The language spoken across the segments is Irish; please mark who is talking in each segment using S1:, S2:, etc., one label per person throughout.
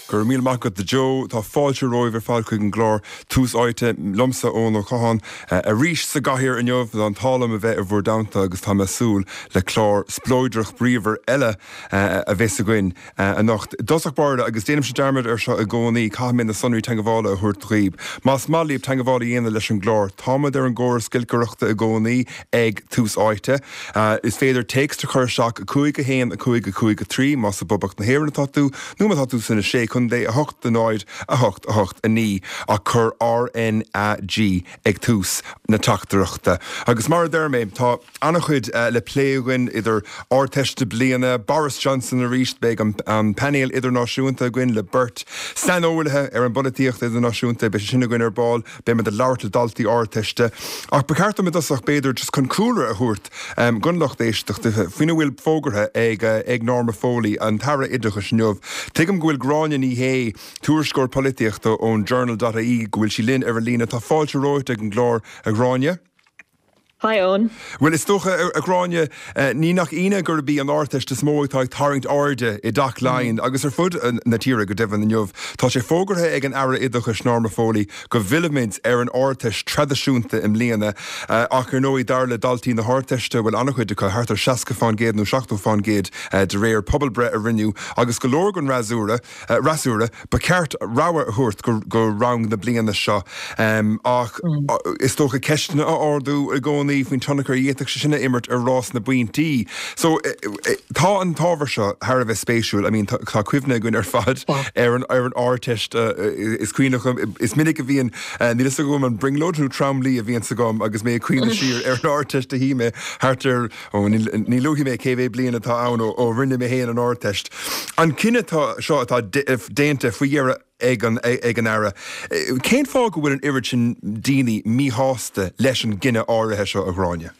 S1: Go raibh míle maith agat a Joe. Tá fáilte romhaibh ar fad chuig an gclár Tús Áite liomsa, Eoin Ó Catháin, arís sa gcathaoir inniu. Tá an t-ádh liom a bheith i bhur dteannta agus tá mé ag súil le clár spleodrach bríomhar eile a bheas againn anocht. I dtosach báire, agus déanaimse dearmad ar seo i gcónaí, caithfidh mé na sonraí teagmhála a thabhairt dhaoib. Más maith libh teagmháil a dhéanamh leis an gclár, táimid ar an gcóras giolcaireachta i gcónaí ag Tús Áite. Is féidir téacs a chur isteach 5 1 5 5 3 más i bPoblacht na hÉireann atá tú, nó má tá tú sna Sé Chontae, 8 0 8 8 9 ach cuir RnaG ag tús na teachtaireachta. Agus mar a deir mé, tá an-chuid le plé againn, idir Ardteist na bliana, Boris Johnson arís, beidh an painéal idirnáisiúnta againn le beirt saineolaithe ar an bpolaitíocht idirnáisiúnta, beidh sé sin againn ar ball. Beimid ag labhairt le daltaí Ardteiste, ach ba cheart dom i dtosach, b'fhéidir, just chun cúlra a thabhairt don lucht éisteachta faoina bhfuil fógartha ag Norma Foley, an tAire Oideachais inniu. Tuigim go bhfuil Gráinne Ní Shé, tuairisceoir polaitíochta ón Journal dot ie, go bhfuil sí linn ar an líne. Tá fáilte romhat ag an gclár, a Ghráinne.
S2: Hi Eoin.
S1: Bhuel, is dócha, a Ghráinne, ní nach ionadh gurb í an Ardteist is mó atá ag tarraingt airde i dTeach Laighean, agus ar fud na tíre go deimhin, inniu. Tá sé fógartha ag an Aire Oideachais, Norma Foley, go bhfillfimid ar an Ardteist traidisiúnta i mbliana, ach ar ndóigh, dar le daltaí na hArdteiste, bhuel, an-chuid acu, thart ar 60% nó 70% de réir pobalbhreith a rinneadh, agus go leor den fhreasúra, fhreasúra, ba cheart rogha a thabhairt go rang na bliana seo ach is dócha ceisteanna a ardú i gcónaí faoin tionchar a d'fhéadfadh sé sin a imirt ar rás na bpointí. So tá an t-ábhar seo thar a bheith spéisiúil. I mean tá cuimhne againn ar fad ar an ar an Ardteist is cuimhneach liom, is minic a bhíonn, níl a fhios agam an brionglóid nó tromluí a bhíonns agam agus mé ag cuimhneamh siar ar an Ardteist a shuigh mé thart ar Ó, ní luafaidh mé cé mhéad bliain atá ann ó rinne mé féin an Ardteist. An cinneadh seo atá déanta faoi dheireadh ag an Aire, cén fáth go bhfuil an oiread sin daoine míshásta leis an gcinneadh áirithe seo, a Ghráinne?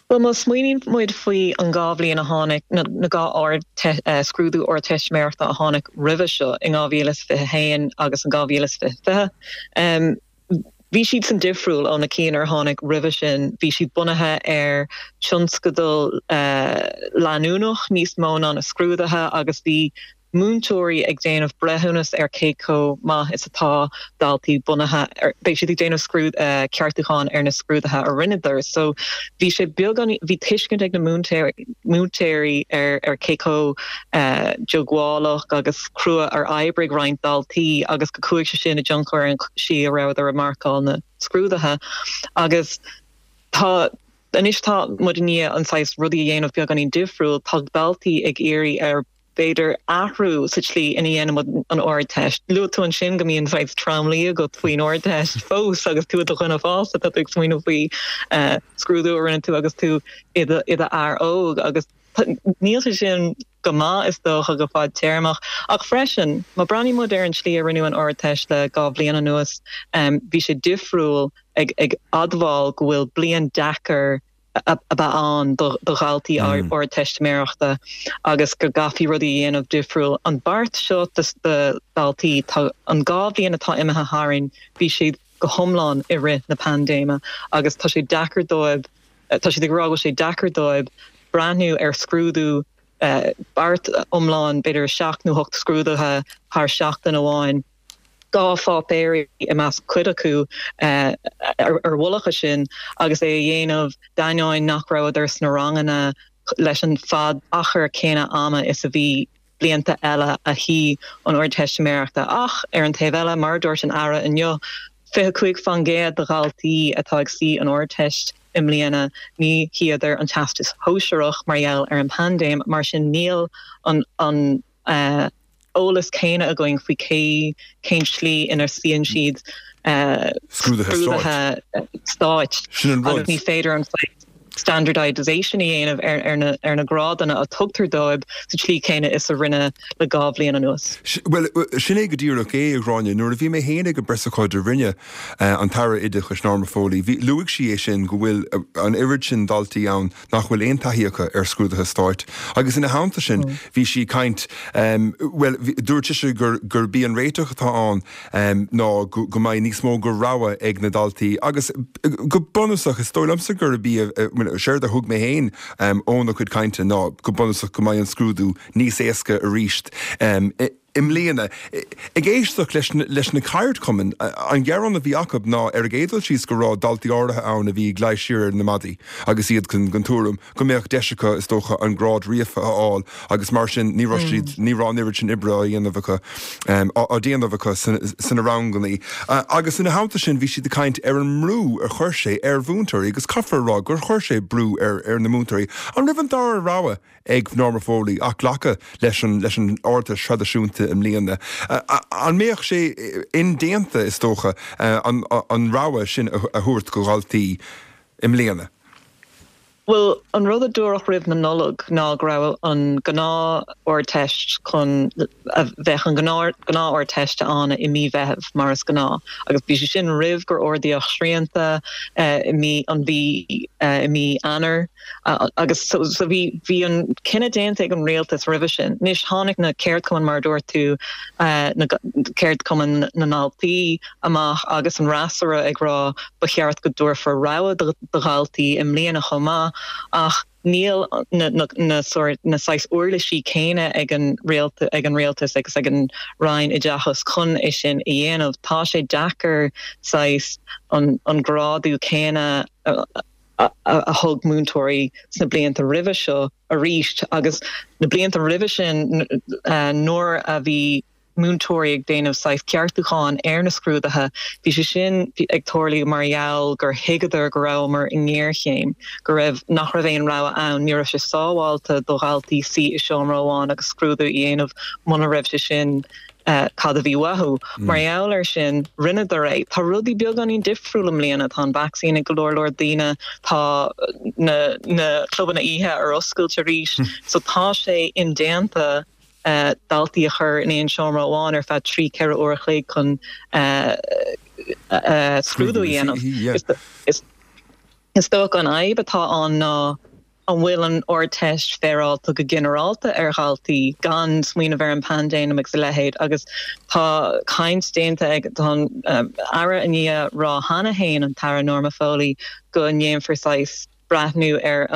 S2: Bhuel, má smaoiníonn muid faoi an dhá bhliain a tháinig, na dhá scrúdú Ardteistiméireachta a tháinig roimhe seo in 2021 agus in 2020, Bhí siad san difriúil ó na cinn ar tháinig roimhe sin, bhí siad bunaithe ar tionscadal leanúnach níos mó ná na scrúduithe agus bhí múinteoirí ag déanamh breithiúnas ar cé chomh maith is atá daltaí bunaithe ar, beidh siad ag déanamh scrúd, ceartúcháin ar na scrúduithe a rinneadar. So bhí sé beagán, bhí tuiscint ag na múinteoirí ar ar cé chomh diongbhálach agus crua ar oibrigh roinnt daltaí agus go chuaigh sé sin i dtionchar ar an tslí a rabhadar ag marcáil na scrúduithe agus tá anois tá muid i ndiaidh an saghas rudaí a dhéanamh beagáinín difriúil, tá daltaí ag iarraidh ar b'fhéidir athrú sa tslí ina dhéanaimid an Ardteist. Luaigh tú ansin go mbíonn saghas tromluí agat faoin Ardteist fós agus tú i do dhuine fásta, tá tú ag smaoineamh faoi scrúdú a rinne tú agus tú i do fhear óg agus Níl sé sin go maith, is dócha, go fadtéarmach. Ach freisin, má breathnaíonn muid ar an tslí a rinneadh an Ardteist le 2 bhliain anuas, bhí sé difriúil ag admháil go bhfuil bliain deacair a bheith ann do dhaltaí Ardteistiméireachta agus go gcaithfí rudaí a dhéanamh difriúil. An beart seo do dhaltaí, tá an 2 bhliain atá imithe tharainn, bhí siad go hiomlán i rith na paindéime agus tá sé deacair dóibh, Tá siad ag rá go bhfuil sé deacair dóibh breathnú ar scrúdú beart iomlán, b'fhéidir 7 nó 8 scrúduithe thar seachtain amháin, 2 pháipéirí i measc cuid acu ar mhullach a sin, agus é a dhéanamh d'ainneoin nach rabhadar sna ranganna leis an fad achar céanna ama is a bhí blianta eile a shuigh an Ardteistiméireachta. Ach ar an taobh eile, mar a dúirt an Aire inniu, 25% de dhaltaí atá ag suí an Ardteist i mbliana, ní shuíodar an Teastas Shóisearach mar gheall ar an bpaindéim, mar sin níl an an eolas céanna againn faoi cé cén tslí ina suíonn siad
S1: scrúduithe
S2: stáit agus ní féidir an standardisation a dhéanamh ar na ar na grádanna a tugtar dóibh sa tslí chéanna is a rinneadh le 2 bhliain anuas.
S1: Bhuel, sin é go díreach é, a Ghráinne. Nuair a bhí mé féin ag an bpreasocáid a rinne an tAire Oideachais, Norma Foley, bhí, luaigh sí é sin, go bhfuil an oiread sin daltaí ann nach bhfuil aon taithí acu ar scrúduithe stáit. Agus ina theannta sin, bhí sí ag caint, bhuel, dúirt sise gur, gurb í an réiteach atá ann ná go mbeidh níos mó de rogha ag na daltaí agus go bunúsach, is dóigh liomsa gurb í, séard a thug mé féin óna cuid cainte ná go bunúsach go mbeidh an scrúdú níos éasca arís. I mbliana, ag éisteacht leis leis na ceardchumainn, an gearán a bhí acu ná ar an gcéad dul síos go raibh daltaí áirithe ann a bhí ag luí siar ar na maidí agus iad den tuairim go mbeadh deis acu, is dócha, an grád ríofa a fháil agus mar sin ní raibh siad, ní raibh an oiread sin oibre á dhéanamh acu, á déanamh acu sna ranganna. Agus ina theannta sin bhí siad ag caint ar an mbrú a chuir sé ar mhúinteoirí agus caithfear a rá gur chuir sé brú ar ar na múinteoirí. An raibh an dara rogha ag Norma Foley ach glacadh leis an leis an Ardteist thraidisiúnta i mbliana. An mbeadh sé indéanta, is dócha, an an rogha sin a thabhairt do dhaltaí i mbliana?
S2: Bhuel, an rud a dúradh roimh na Nollag ná go raibh an gnáth-Ardteist chun, bheadh an gnáth-Ardteist ann i mí Mheithimh mar is gnáth agus bhí sé sin roimh gur ardaíodh srianta i mí an mhí i mí Eanáir. Agus so so bhí bhí an cinneadh déanta ag an rialtas roimhe sin. Anois tháinig na ceardchumainn mar a dúirt tú, na ceardchumainn na ndaltaí amach agus an fhreasúra ag rá ba cheart go dtabharfar rogha do dhaltaí i mbliana chomh maith ach níl na na na sórt na saghas uirlisí céanna ag an ag an rialtas agus ag an Roinn Oideachais chun é sin a dhéanamh. Tá sé deacair saghas an an grádú céanna a a thug múinteoirí sna blianta roimhe seo arís agus na blianta roimhe sin nuair a bhí múinteoirí ag déanamh saghas ceartúcháin ar na scrúduithe, bhí sé sin ag tarlú mar gheall gur thuigeadar go rabhamar i ngéarchéim, go raibh, nach raibh aon rogha ann, ní raibh sé sábháilte do dhaltaí suí i seomra amháin agus scrúdú a dhéanamh muna raibh sé sin cad a bhí uathu. Mar gheall air sin, rinneadar é. Tá rudaí beagáinín difriúil i mbliana. Tá an vacsaín ag go leor leor daoine, tá na na clubanna oíche ar oscailt arís. So tá sé indéanta daltaí a chur in aon seomra amháin ar feadh 3, 4 uair a chloig chun scrúdú a dhéanamh. Is dócha an fhadhb atá ann ná An bhfuil an Ardteist féaráilte go ginearálta ar dhaltaí, gan smaoineamh ar an bpaindéim agus a leithéid? Agus tá caint déanta ag, tá an Aire i ndiaidh rá cheana féin, an tAire Norma Foley, go ndéanfar saghas breathnú ar,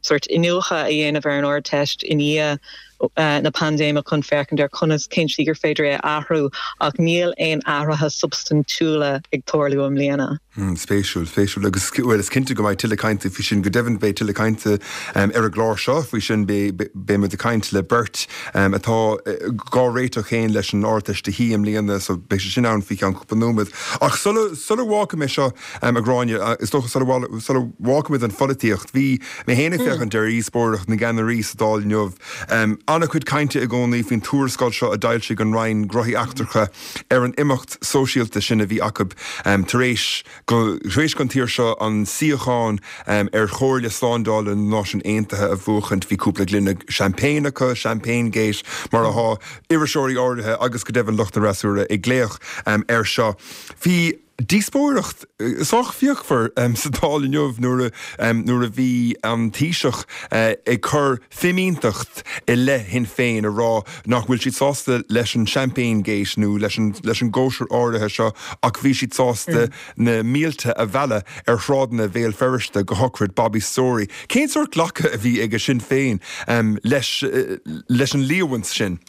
S2: sórt iniúchadh a dhéanamh ar an Ardteist i ndiaidh na paindéime chun féachaint ar conas, cén tslí gur féidir é a athrú ach níl aon athruithe substaintiúla ag tarlú i mbliana.
S1: Spéisiúil, spéisiúil. Agus, bhuel, is cinnte go mbeidh tuilleadh cainte faoi sin. Go deimhin, beidh tuilleadh cainte ar an gclár seo faoi sin. Beidh muid ag caint le beirt atá dhá réiteach féin leis an Ardteist a shuí i mbliana, so beidh sé sin ann faoi cheann cúpla nóiméad. Ach sula, sula bhfágfaidh mé seo, a Ghráinne, is dócha sula, sula bhfágfaimid an pholaitíocht, bhí mé féin ag féachaint ar dhíospóireacht na gceannairí sa Dáil inniu. An-chuid cainte i gcónaí faoin tuarascáil seo a d'fhoilsigh an Roinn Gnóthaí Eachtracha ar an imeacht sóisialta sin a bhí acu tar éis go, tar éis don tír seo an suíochán ar Chomhairle Slándála na Náisiún Aontaithe a bhuachaint. Bhí cúpla gloine champagne acu, Champagne Gate mar atá iriseoirí áirithe agus go deimhin lucht an fhreasúra ag glaoch air seo. Bhí. Díospóireacht sách fíochmhar sa Dáil inniu nuair a nuair a bhí an Taoiseach ag cur fimínteacht i leith Shinn Féin ag rá nach bhfuil siad sásta leis an Champagne Gate nó leis an leis an gcóisir áirithe seo ach bhí siad sásta na mílte a mhealladh ar shráideanna Bhéal Feirste go shochraid Bobby Storey. Cén sórt glacadh a bhí ag Sinn Féin leis leis an líomhaint sin?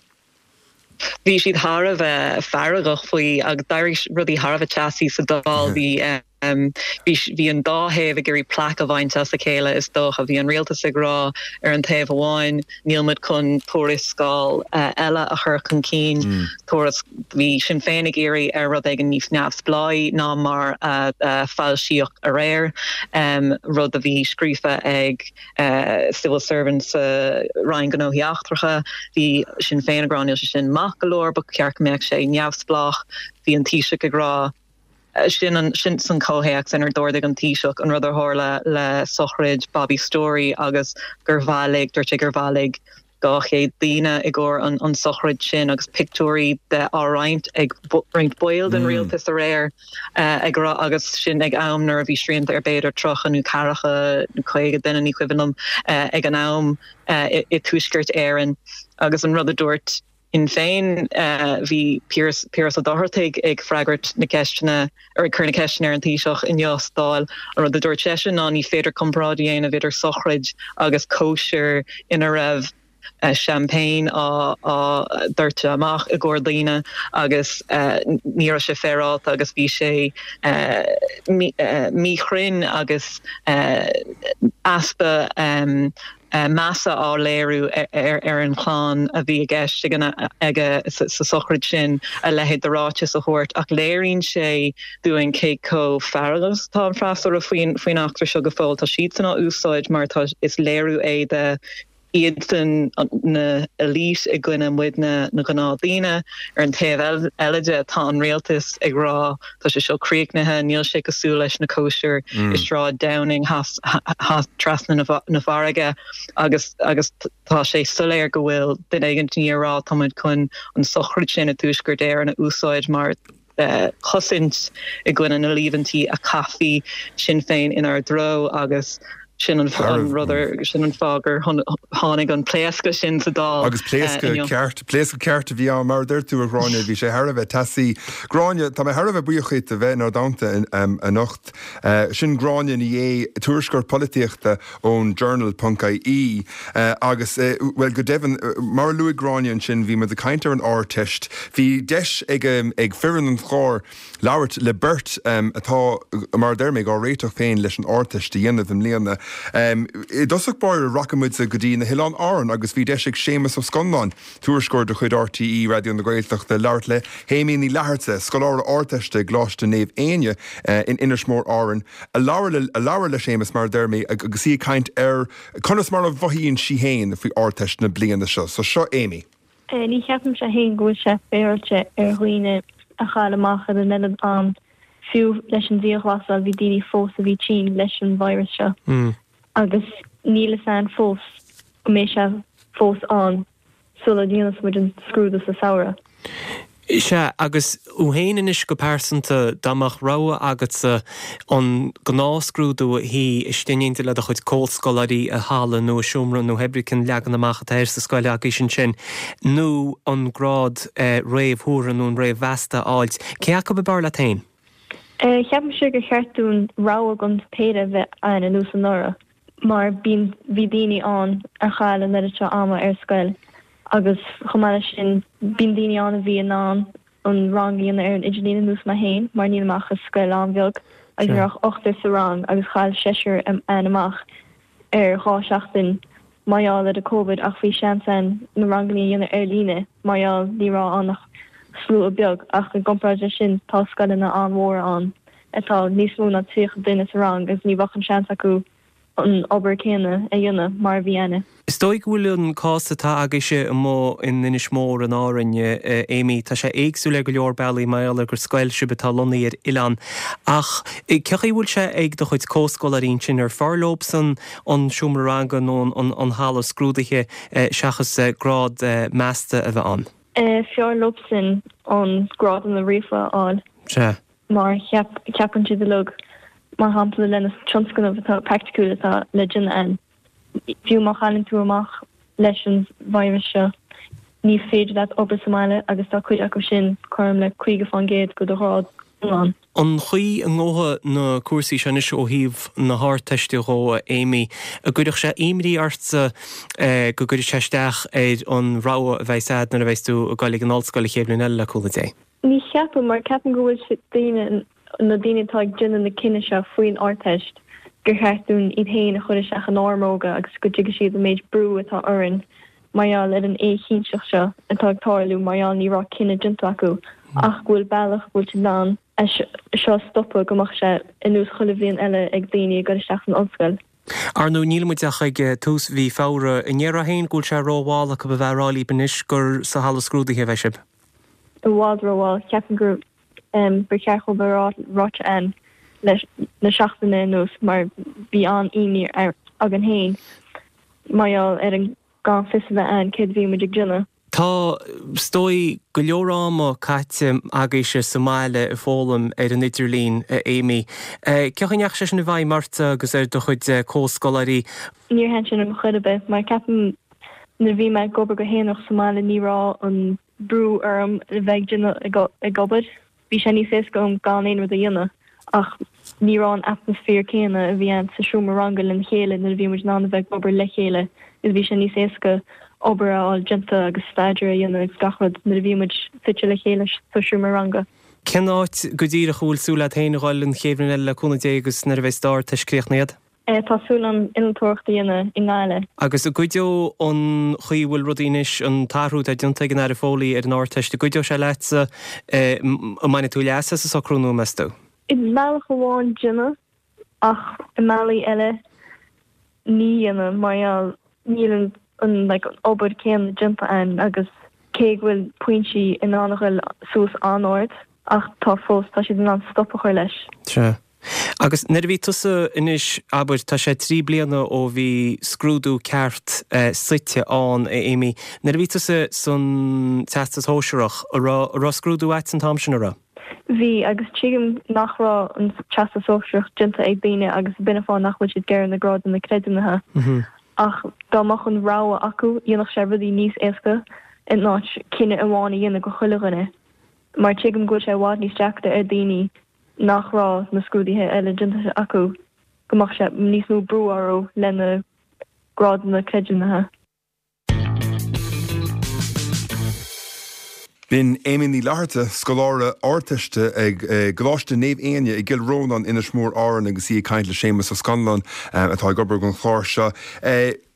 S2: Bhí siad thar a bheith feargach faoi agus d'éirigh rudaí thar a bheith teasaí sa Dáil. Bhí bhí bhí an dá thaobh ag iarraidh plaic a bhaint as a chéile is dócha. Bhí an rialtas ag rá ar an taobh amháin níl muid chun tuarascáil eile a chur chun cinn, tuairisc bhí Sinn Féin ag iarraidh ar rud éigin níos neamhspleáí ná mar a foilsíodh aréir, rud a bhí scríofa ag civil servant sa Roinn Gnóthaí Eachtracha. Bhí Sinn Féin ag rá níl sé sin maith go leor, ba cheart go mbeadh sé neamhspleách. Bhí an Taoiseach ag rá sin an sin san comhthéacs inar d'ardaigh an Taoiseach an rud a tharla le sochraid Bobby Storey agus gur bhailigh, dúirt sé gur bhailigh 200 daoine i gcomhair an sochraid sin agus pictiúirí de á roinnt ag roinnt baill den rialtas aréir ag rá agus sin ag am nuair a bhí srianta ar b'fhéidir 30 nó 40 nó 50 duine, ní cuimhin liom, ag an am i dTuaisceart Éireann agus an rud a dúirt Sinn Féin, bhí Piaras Ó Dochartaigh ag freagairt na ceisteanna, ar ag cur na ceisteanna ar an Taoiseach inniu sa Dáil. An rud a dúirt seisean ná ní féidir comparáid a dhéanamh idir sochraid agus cóisir ina raibh. Champagne á doirteadh amach i gcomhair daoine agus ní raibh sé féaráilte agus bhí sé míchruinn agus easpa measa á léiriú ar an chlann a bhí i gceist aige sa sochraid sin a leithéid de ráiteas a thabhairt ach léiríonn sé dúinn cé chomh feargach is atá an freasúra faoin eachtra seo go fóill. Tá siadsan á úsáid mar tá is léiriú é de iadsan na elite i gcoinne muidne na gnáthdhaoine. Ar an taobh eile de tá an rialtas ag rá tá sé seo críochnaithe, níl sé cosúil leis na cóisir i Sráid Downing trasna na farraige agus agus tá sé soiléir go bhfuil duine éigin i ndiaidh a rá tá muid chun an sochraid sin i dTuaisceart Éireann a úsáid mar chosaint i gcoinne na líomhaintí a chaithfí Sinn Féin inár dtreo agus sin an rud ar, sin an fáth gur tháinig an pléascadh sin sa Dáil
S1: Agus pléascadh ceart, pléascadh ceart a bhí ann, mar a deir tú, a Ghráinne, bhí sé thar a bheith teasaí. Gráinne, tá mé thar a bheith buíoch díot a bheith inár dteannta anocht. Sin Gráinne Ní Aodha, tuairisceoir polaitíochta ón Journal ponc ie agus, bhuel, go deimhin, mar a luaigh Gráinne ansin, bhí muid ag caint ar an Ardteist. Bhí deis ag ag foireann an chláir labhairt le beirt atá, mar a deir mé, á réiteach féin leis an Ardteist a dhéanamh i mbliana. I dtosach báire, rachaidh muid go dtí na hOileáin Árann agus bhí deis ag Séamus Ó Scanláin, Tuairisceoir de chuid RTÉ Raidió na Gaeltachta, labhairt le hAimee Ní Fhlatharta, scoláire Ardteiste i gColáiste Naomh Éinne in Inis Mór, Árainn, a labhair a labhair le Séamus, mar a deir mé, agus í ag caint ar conas mar a mhothaíonn sí féin faoi Ardteist na bliana seo. So seo Aimee.
S3: Ní cheapaimse féin go bhfuil sé féaráilte ar dhaoine a chaill amach ar an oiread am. Fiú leis an dianghlasáil bhí daoine fós a bhí tinn leis an virus seo agus níl fhios a'inn fós go mbeidh sé fós ann sula ndéanfas muid an scrúdú sa samhradh.
S4: Sea, agus thú féin anois go pearsanta, dá mbeadh rogha agatsa an gnáthscrúdú a shuí istigh in éindí le do chuid comhscoláirí i halla nó i seomra nó pé ar bith cén leagan amach atá air sa scoil agaibhse ansin, nó an grád réamhthuartha nó an réamh-mheasta a fháilt, cé acu ab fhearr leat féin?
S3: Ceapaimse gur cheart dúinn rogha den péire a bheith ann ar nós anuraidh. mar bíonn, bhí daoine ann a chaill an oiread seo ama ar scoil agus chomh maith leis sin bíonn daoine ann a bhí in ann an rang a dhéanamh ar an idirlíon ar nós mé féin mar nílim ach i scoil an-bheag agus ní raibh ach ochtar sa rang agus chaill seisear againn amach ar dhá seachtain mar gheall ar an Covid ach bhí seans ann na ranganna a dhéanamh ar líne mar gheall ní raibh ann ach slua beag ach i gcomparáid leis sin tá scoileanna an-mhóra ann atá níos mó ná 30 duine sa rang agus ní bheadh an seans acu an obair céanna a dhéanamh mar a bhí a'inne.
S4: Is dóigh go bhfuil an cás atá agaibhse amuigh in Inis Mór in Árainn, Aimee, tá sé éagsúil ar go leor bealaí mar gheall ar gur scoil sibh atá lonnaithe ar oileán. Ach cé chaoi a bhfuil sé ag do chuid comhscoláirí ansin, ar fearr leobsan an seomra ranga nó an halla scrúdaithe seachas grád measta a bheith ann?
S3: Fearr leobsan an grádanna ríofa a fháil.
S4: Sea.
S3: mar ceapann siad uilig, mar shampla le na tionscnaimh atá praiticiúil atá le déanamh a'inn, fiú má chailleann tú amach leis an virus seo, ní féidir leat obair sa mbaile agus tá cuid acu sin cothrom le 50% de do ghrád iomlán.
S4: An chaoi a ngabhfaidh na cúrsaí seo anois ó thaobh na hArdteiste dhó, a Aimee, an gcuirfeadh sé imní ortsa go gcuirfidh sé isteach ar an rogha a bheas a'd nuair a bheas tú ag dul ag an ollscoil an chéad bhliain eile le cúnamh Dé?
S3: Ní cheapaim, mar ceapaim go bhfuil siad daoine, na daoine atá ag déanamh na cinneadh seo faoin Ardteist, gur cheart dúinn iad féin a chur isteach inár mbróga agus go dtuigfidh siad an méid brú atá orainn mar gheall ar an éichinnteacht seo atá ag tarlú mar gheall ní raibh cinneadh déanta acu ach go bhfuil bealach go bhfuil siad in ann é seo a stopadh go mbeadh sé ar nós chuile bhliain eile ag daoine ag dul isteach san ollscoil.
S4: Ar ndóigh, níl muid ach ag tús mhí Feabhra. An ndéarfá féin go bhfuil sé rómhall acu a bheith ag rá libh anois gur sa halla scrúdaithe a bheidh sibh?
S3: I bhfad rómhall. Ceapaim gur ba cheart dhóibh a ráite a'inn le na seachtaine anuas mar bhí an-imní againn féin mar gheall ar an gan fios a bheith a'inn céard a bhí muid ag déanamh.
S4: Tá, is dóigh, go leor ama caite agaibhse sa mbaile ag foghlaim ar an idirlíon, a Aimee. Cé chaoi a ndeachaigh sé sin i bhfeidhm ortsa agus ar do chuid comhscoláirí?
S3: Níor thaitin sé liom chor ar bith mar ceapaim nuair a bhí mé ag obair go haonarach sa mbaile ní raibh an brú orm a bheith ag déanamh ag obair. Bhí sé níos éasca dom gan aon rud a dhéanamh ach ní raibh an atmaisféar céanna a bhí ann sa seomra ranga lena chéile nuair a bhí muid in ann a bheith ag obair le chéile agus bhí sé níos éasca. obair a fháil déanta agus staidéar a dhéanamh agus gach rud nuair a bhí muid suite le chéile sa seomra ranga.
S4: Cén áit go díreach a bhfuil súil agat féin a dhul an chéad bhliain eile le cúnamh Dé agus nuair a bheidh d'Ardteist críochnaithe agat?
S3: Tá súil agam innealtóireacht a dhéanamh i nGaillimh.
S4: Agus an gcuideodh an chaoi a bhfuil rudaí anois, an t-athrú atá déanta ag an Aire Foley ar an Ardteist, an gcuideodh sé leatsa, an mbainfidh tú leas as an socrú nua, meas tú?
S3: I mbealach amháin déanfaidh, ach i mbealaí eile ní dhéanfaidh mar gheall níl an an like an obair céanna déanta a'inn agus cé go bhfuil pointí in ann a ghoil suas an-ard ach tá fós tá siad in ann stop a chur leis.
S4: Sea. Agus nuair a bhí tusa anois, abair, tá sé 3 bliana ó bhí scrúdú ceart suite ann, a Amy, nuair a bhí tusa san Teastas Shóisearach, an raibh, an raibh scrúdú a'd an t-am sin, an raibh?
S3: Bhí, agus tuigim nach raibh an Teastas Sóisearach déanta ag daoine agus b'in an fáth nach bhfuil siad ag iarraidh na grádanna creidiúnaithe. Ach dá mbeadh an rogha acu, dhéanfadh sé rudaí níos éasca in áit cinneadh amháin a dhéanamh go chuile dhuine. Mar tuigim go bhfuil sé i bhfad níos deacra ar daoine nach raibh na scrúduithe eile déanta acu, go mbeadh sé níos mó brú orthu lena grádanna creidiúnaithe.
S1: B'in Amy Ní Fhlatharta, scoláire Ardteiste ag gColáiste Naomh Éinne i gCill Rónáin, Inis Mór, Árainn agus í ag caint le Séamus Ó Scanláin atá ag obair don chlár seo.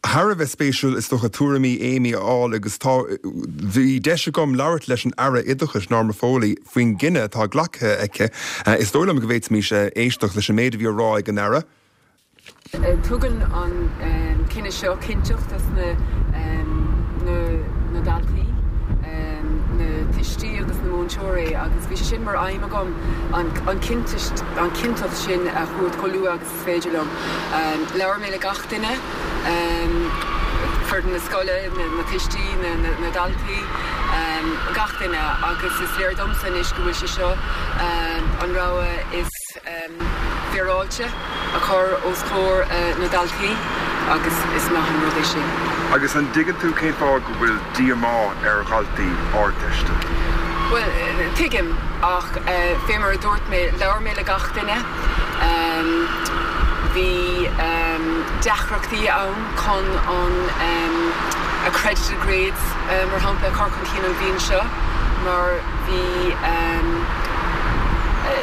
S1: Thar a bheith spéisiúil is dócha tuairimí Amy a fháil agus tá, bhí deis agam labhairt leis an Aire Oideachais, Norma Foley, faoin gcinneadh atá glactha aici. Is dóigh liom go bhféadfaimis éisteacht leis an méid a bhí á rá ag an Aire.
S5: Tugann an cinneadh seo cinnteacht dos na na daltaí, na tuistí agus na múinteoirí agus bhí sé sin mar aidhm agam an chinnteacht sin a thabhairt chomh luath agus is féidir liom. Labhair mé le gach duine, foireann na scoile, na tuistí, na daltaí, gach duine agus is léir domsa anois go bhfuil sé seo an rogha is féaráilte a chur os comhair na ndaltaí agus is maith an rud é sin.
S1: Agus an dtuigeann tú cén fáth go bhfuil díomá ar dhaltaí Ardteiste?
S5: Bhuel, tuigim ach fé mar a dúirt mé, labhair mé le gach duine. Bhí deacrachtaí ann chun an accredited grades, mar shampla, a chur chun cinn an bhliain seo mar bhí,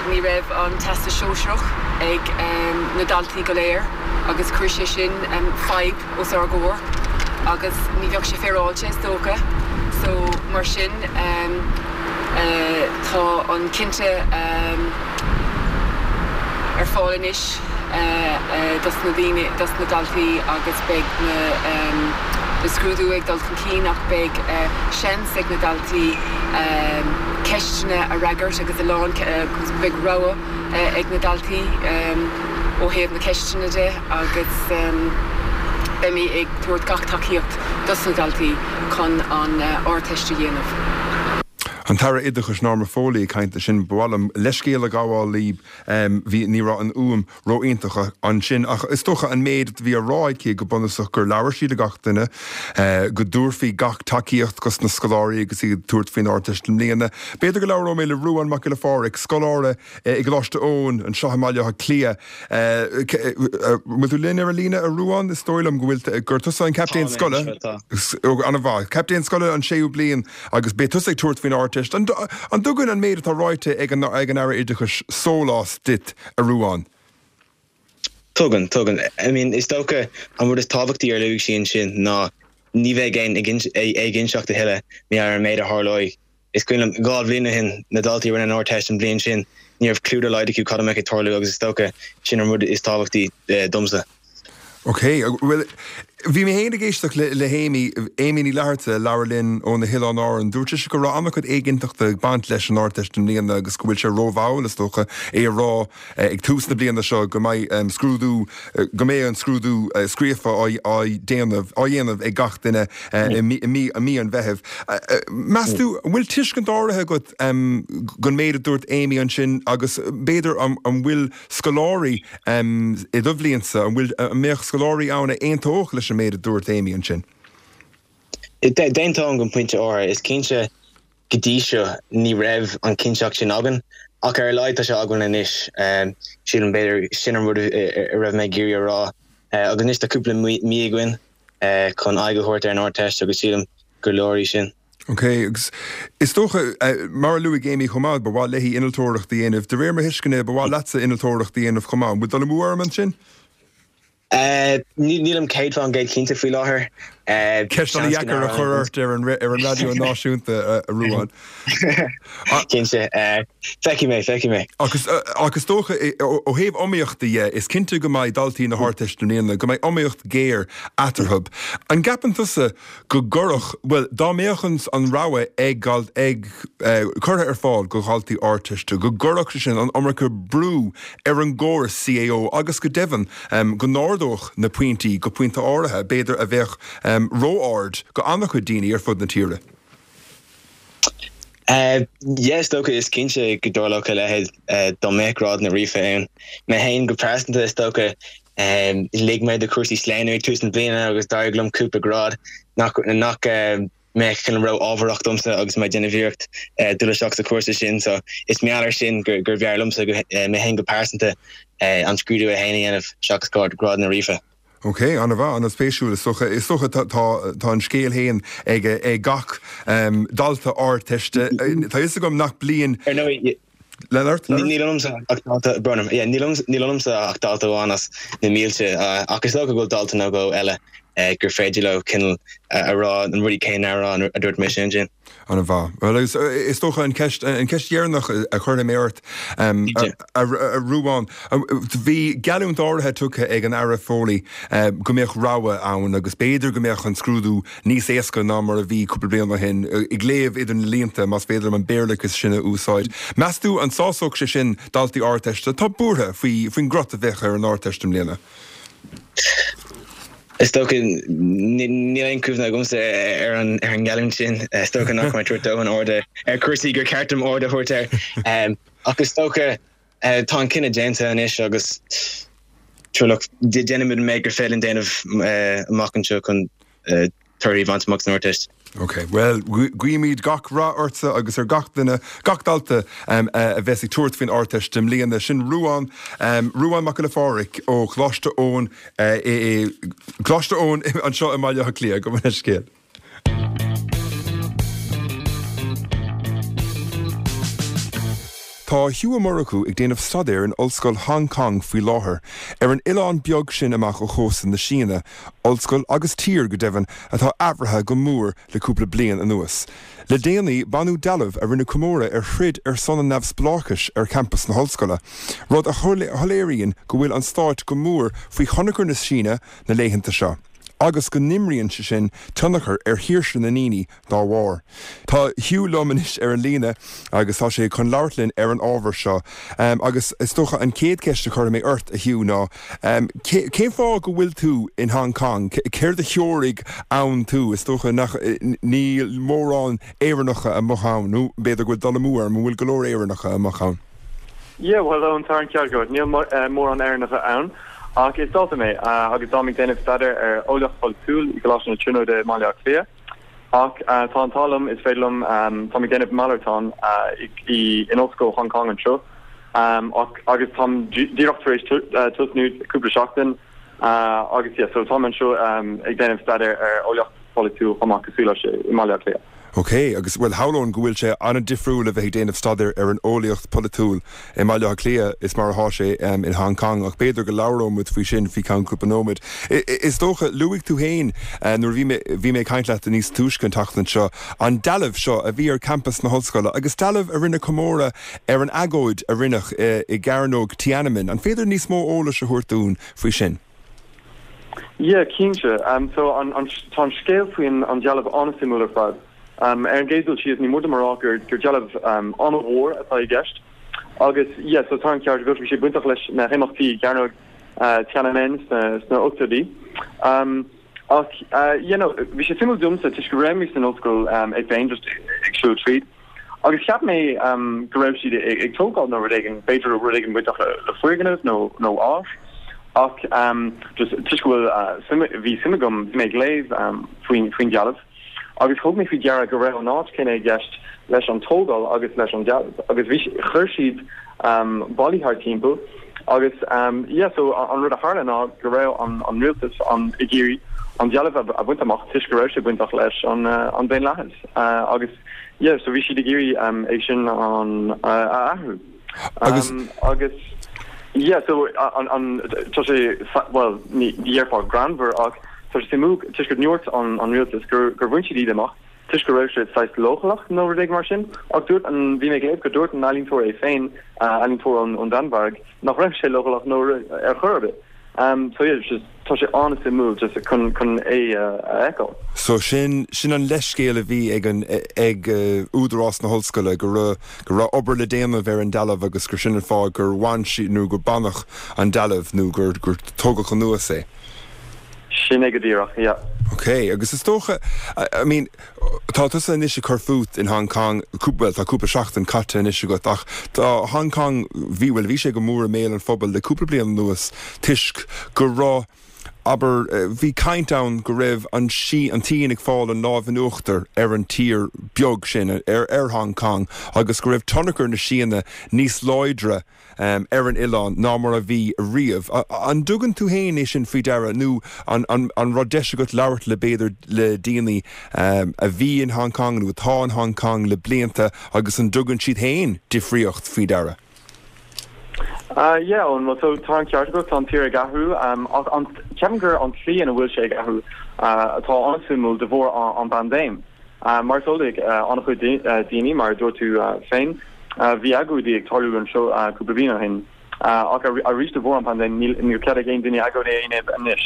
S5: ní raibh an Teastas Sóisearach ag na daltaí go léir agus chuir sé sin fadhb os ár gcomhair agus ní bheadh sé féaráilte is dócha so mar sin tá an cinnte ar fáil anois dos na daoine, dos na daltaí agus beidh na na scrúdú ag dul chun cinn ach beidh seans ag na daltaí ceisteanna a fhreagairt agus a lán agus beidh rogha ag na daltaí ó thaobh na ceisteanna de agus beimid ag tabhairt gach tacaíocht dos na daltaí chun an Ardteist a dhéanamh.
S1: An tAire Oideachais Norma Foley ag caint ansin. Ba mhaith liom leithscéal a ghabháil libh, bhí, ní raibh an fhuaim ró-iontach ansin ach is dócha an méid a bhí á rá aici go bunúsach gur labhair sí le gach duine, go dtabharfaí gach tacaíocht dos na scoláirí agus iad ag tabhairt faoin Ardteist i mbliana. B'fhéidir go labhróidh mé le Ruán Mac Giolla Phádraig, scoláire i gColáiste Eoin anseo i mBaile Átha Cliath. Bhfuil tú linn ar an líne, a Ruán? Is dóigh liom go bhfuil, gur tusa an captaen scoile. An-mhaith. Captaen scoile an séú bliain agus beidh tusa ag tabhairt faoin Ardteist. An dtugann an méid atá ráite ag an Aire Oideachais sólás duit, a Ruán?
S6: Tugann, tugann. I mean, is dócha an rud is tábhachtaí ar luaigh sí ansin ná ní bheidh aon éiginnteacht a thuilleadh mar an méid a tharlóidh. Is cuimhin liom, 2 bhliain ó shin, na daltaí a rinne an Ardteist an bhliain sin, ní raibh cliú dá laghad acu cad a mbeadh ag tarlú agus is dócha sin an rud is tábhachtaí domsa.
S1: Ok, bhuel, bhí mé féin ag éisteacht le hAmy, Amy Ní Fhlatharta, a labhair linn ó na hOileáin Árann. Dúirt sise go raibh an-chuid éiginnteachta ag baint leis an Ardteist i mbliana agus go bhfuil sé rómhall, is dócha, é a rá ag tús na bliana seo go mbeidh scrúdú, go mbeidh an scrúdú scríofa á déanamh, á dhéanamh ag gach duine i mí, i mí an Mheithimh. Meas tú, an bhfuil tuiscint áirithe agat den méid a dúirt Amy ansin agus b'fhéidir an bhfuil scoláirí i do bhliainsa, an bhfuil, an mbeadh scoláirí ann a aontódh leis an méid a dúirt Amy ansin?
S6: D'aontóinn go pointe áirithe. Is cinnte Go dtí seo ní raibh an chinnteacht sin againn, ach ar a laghad tá sé againn anois. Sílim, b'fhéidir, sin an rud a raibh mé ag iarraidh a rá. Agus anois tá cúpla mí againn. chun aghaidh a thabhairt ar an Ardteist agus sílim gur leor í sin.
S1: Ok, agus is dócha, mar a luaigh Amy chomh maith, ba mhaith léi innealtóireacht a dhéanamh. De réir mo thuisceana, ba mhaith leatsa innealtóireacht a dhéanamh chomh maith. An bhfuil dul amú orm ansin?
S6: Nílim 100% cinnte faoi láthair.
S1: Ceist an-dheacair a chur ort ar an raidió náisiúnta, a Ruadhán.
S6: Cinnte. Feicfidh mé, feicfidh mé.
S1: Ach is dócha, ó thaobh iomaíochta dhe, is cinnte go mbeidh daltaí na hArdteiste i mbliana, go mbeidh iomaíocht ghéar eatarthu. An gceapann tusa go gcuirfeadh, bhuel, dá mbeadh an rogha ag, ag, curtha ar fáil go dhaltaí Ardteiste, go gcuirfeadh sé sin an iomarca brú ar an gcóras CAO agus go deimhin go n-ardódh na pointí go pointe áirithe, b'fhéidir, a bheadh ró-ard go an-chuid daoine ar fud na tíre.
S6: Yeah, is dócha, is cinnte go dtarlódh a leithéid dá mbeadh grádanna ríofa ann. Mé féin go pearsanta, is dócha, lig mé do chúrsaí claonadh ag tús na bliana agus d'éirigh liom cúpla grád nach nach mbeadh cineál ró-ámharach domsa agus mé ag déanamh iarracht dul isteach sa chúrsa sin. So is mar gheall air sin gur b'fhearr liomsa mé féin go pearsanta an scrúdú é féin a dhéanamh seachas grádanna ríofa.
S1: Ok, an-mhaith, an-spéisiúil. Is dócha, is dócha tá, tá, tá an scéal féin ag, ag gach dalta Ardteiste. Tá a fhios agam nach bliain.
S6: Ar ndóigh,
S1: Lean ort,
S6: lean ort. Níl ionamsa ach dalta, brón orm, yeah, níl ionamsa ach dalta amháin as na mílte, ach is dócha go bhfuil dalta nó dhó eile gur féidir leo cineál a rá na rudaí céanna a rá a dúirt mise ansin.
S1: An-mhaith. Bhuel, agus is dócha an cheist, an cheist dheireanach a chuirfidh mé ort, a Ruadhán, bhí geallúint áirithe tugtha ag an Aire Foley go mbeadh rogha ann agus b'fhéidir go mbeadh an scrúdú níos éasca ná mar a bhí cúpla bliain ó shin, ag léamh idir na línte, más féidir liom an Béarlachas sin a úsáid. Meas tú an sásódh sé sin daltaí Ardteiste atá buartha faoi, faoin gcrot a bheadh ar an Ardteist i mbliana?
S6: Is dócha, níl aon chuimhne agamsa ar an ngeallúint sin. Is dócha nach raibh mé ag tabhairt dóthain airde ar chúrsaí gur cheart dom aird a thabhairt air. Ach is dócha, tá an cinneadh déanta anois agus sure look, déanfaimid an méid gur féidir linn déanamh amach anseo chun torthaí a bhaint amach san Ardteist.
S1: Ok, bhuel, guímid gach rath ortsa agus ar gach duine, gach dalta a bheas ag tabhairt faoin Ardteist i mbliana. Sin Ruadhán, Ruadhán Mac Giolla Phádraig ó Choláiste Eoin i, Coláiste Eoin anseo i mBaile Átha Cliath. Gabh mo leithscéal. Tá Hugh Ó Murchú ag déanamh staidéir in Ollscoil Hong Kong faoi láthair, ar an oileán beag sin amach ó chósta na Síne, ollscoil agus tír, go deimhin, atá athraithe go mór le cúpla bliain anuas. Le déanaí, baineadh dealbh a rinne comóradh ar throid ar son an neamhspleáchais ar champas na hollscoile, rud a shoiléiríonn go bhfuil an stát go mór faoi thionchar na Síne na laethanta seo, agus go n-imríonn sé sin tionchar ar shaoirse na ndaoine dá bharr. Tá Hugh liom anois ar an líne agus tá sé chun labhairt linn ar an ábhar seo. Agus is dócha an chéad cheist a chuirfidh mé ort, a Hugh, ná cén fáth go bhfuil tú in Hong Kong? Céard a threoraigh ann tú? Is dócha nach níl mórán Éireannacha amuigh ann, nó b'fhéidir go bhfuil dul amú orm, an bhfuil go leor Éireannacha amuigh ann?
S7: Yeah, bhuel, Eoin, tá an ceart agat. Níl mórán Éireannacha ann. Ach is dalta mé agus táim ag déanamh staidéir ar eolaíocht pholaitiúil i gColáiste na Tríonóide i mBaile Átha Cliath. Ach tá an t-ádh liom, is féidir liom, táim ag déanamh malartán i in Ollscoil Hong Kong anseo ach agus táim díreach tar éis tosnú cúpla seachtain agus yeah so táim anseo ag déanamh staidéar ar eolaíocht pholaitiúil chomh maith cosúil leis i mBaile Átha Cliath.
S1: Ok, agus bhuel shamhlóinn go bhfuil sé an-difriúil a bheith ag déanamh staidéir ar an eolaíocht pholaitiúil i mBaile Átha Cliath is mar atá sé in Hong Kong, ach b'fhéidir go labhróidh muid faoi sin faoi cheann cúpla nóiméad. Is dócha, luaigh tú féin nuair a bhí mé, bhí mé ag caint leat níos túisce an tseachtain seo, an dealbh seo a bhí ar campas na hollscoile agus dealbh a rinne comóradh ar an agóid a rinneadh i gCearnóg Tiananmen. An féidir níos mó eolais a thabhairt dúinn faoi sin?
S7: Yeah, cinnte. So an, an, tá an scéal faoin an dealbh an-suimiúil ar fad. Ar an gcéad dul síos, ní mór dom a rá gur, gur dealbh an-mhór atá i gceist. Agus, yeah, so tá an ceart agat, bhí sé bainteach leis na himeachtaí i gCearnóg Tiananmen sna, sna ochtóidí. Ach, yeah, no, bhí sé suimiúil domsa toisc go raibh mé san ollscoil é féin, just ag siúl tríd. Agus cheap mé go raibh siad ag tógáil nó rud éigin, b'fhéidir rud éigin bainteach le foirgneamh nó nó áit, ach just toisc go bhfuil suim, bhí suim agam, bhí mé ag léamh faoin faoin dealbh agus thug mé faoi deara go raibh an áit céanna i gceist leis an tógáil agus leis an dealbh agus bhí, chuir siad ballaí thart timpeall agus yeah so an rud a tharla ná go raibh an an rialtas an ag iarraidh. an dealbh a bhaint amach toisc go raibh sé bainteach leis an daonlathas agus yeah so bhí siad ag iarraidh é sin an a athrú. Agus agus yeah so an an tá sé bhuel ní dhéarfá greannmhar ach tá sé suimiúil toisc go ndúirt an an rialtas gur gur bhain siad iad amach toisc go raibh sé saghas leochaileach nó rud éigin mar sin ach dúirt an bhí mé ag léamh go dúirt an ealaíontóir é féin ealaíontóir ón ón Danmhairg nach raibh sé leochaileach nó ar chor ar bith. So yeah, just tá sé an-suimiúil just chun chun é a fheiceáil.
S1: So sin sin an leithscéal a bhí ag an ag údarás na hollscoile go raibh go raibh obair le déanamh ar an dealbh agus gur sin an fáth gur bhain siad nó gur baineadh an dealbh nó gur gur tógadh anuas é.
S7: Sin é go díreach, yeah.
S1: Ok, agus is dócha, I mean, tá tusa anois ag cur fút in Hong Kong, bhuel, tá cúpla seachtain caite anois agat, ach tá Hong Kong, bhí, bhuel, bhí sé go mór i mbéal an phobail le cúpla bliain anuas toisc go raibh, abair, bhí caint ann go raibh an tSín, an tSín ag fáil an lámh in uachtar ar an tír beag sin, ar, ar Hong Kong, agus go raibh tionchar na Síne níos láidre ar an oileán ná mar a bhí riamh. An dtugann tú féin é sin faoi deara nó an an raibh deis agat labhairt le b'fhéidir le daoine a bhí in Hong Kong nó atá in Hong Kong le blianta agus an dtugann siad féin difríocht faoi deara?
S7: Yeah, Eoin, well so tá an ceart agat, tá an tír ag athrú ach an, ceapaim gur an tslí ina bhfuil sé ag athrú atá an-suimiúil de bharr an bpaindéim. Mar is eol ag an-chuid daoine, mar a dúirt tú féin, bhí agóidí ag tarlú anseo cúpla bliain ó shin, ach arís de bharr an paindéim níl cead ag aon duine agóid a dhéanamh anois.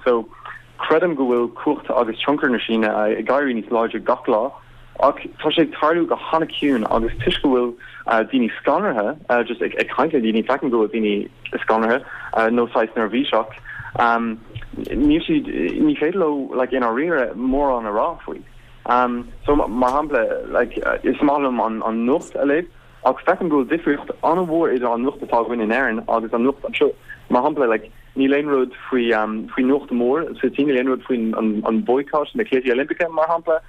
S7: So, creidim go bhfuil cumhacht agus tionchar na Síne ag éirí níos láidre gach lá, ach tá sé ag tarlú go han-chiúin agus toisc go bhfuil daoine scanraithe, just ag caint le daoine, feicim go bhfuil daoine scanraithe nó saghas neirbhíseach, níl siad, ní féidir leo like i ndáiríre mórán a rá faoi. So mar shampla like is maith liom an an nuacht a léamh ach feicim go bhfuil difríocht an-mhór idir an nuacht atá againn in Éirinn agus an nuacht anseo. Mar shampla like níl aon rud faoi faoi nuacht mhór sa tSín, níl aon rud faoin an an boycott na Cluichí Oilimpeacha mar shampla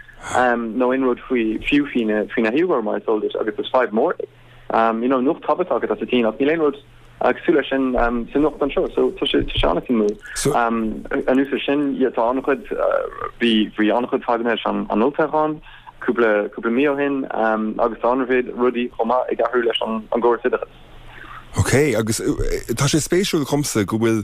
S7: nó aon rud faoi fiú faoi na faoi na hUighur mar is eol duit agus is fadhb mór é. You know nuacht tábhachtach atá sa tSín ach níl aon rud cosúil leis sin sa nuacht anseo so tá sé tá sé an-suimiúil. Anuas ar sin yeah tá an-chuid bhí bhí an-chuid fadhbanna leis an an olltoghchán cúpla cúpla mí ó shin agus tá an-mhéid rudaí chomh maith ag athrú leis an an gcóras oideachais.
S1: Ok, agus tá sé spéisiúil dhomsa go bhfuil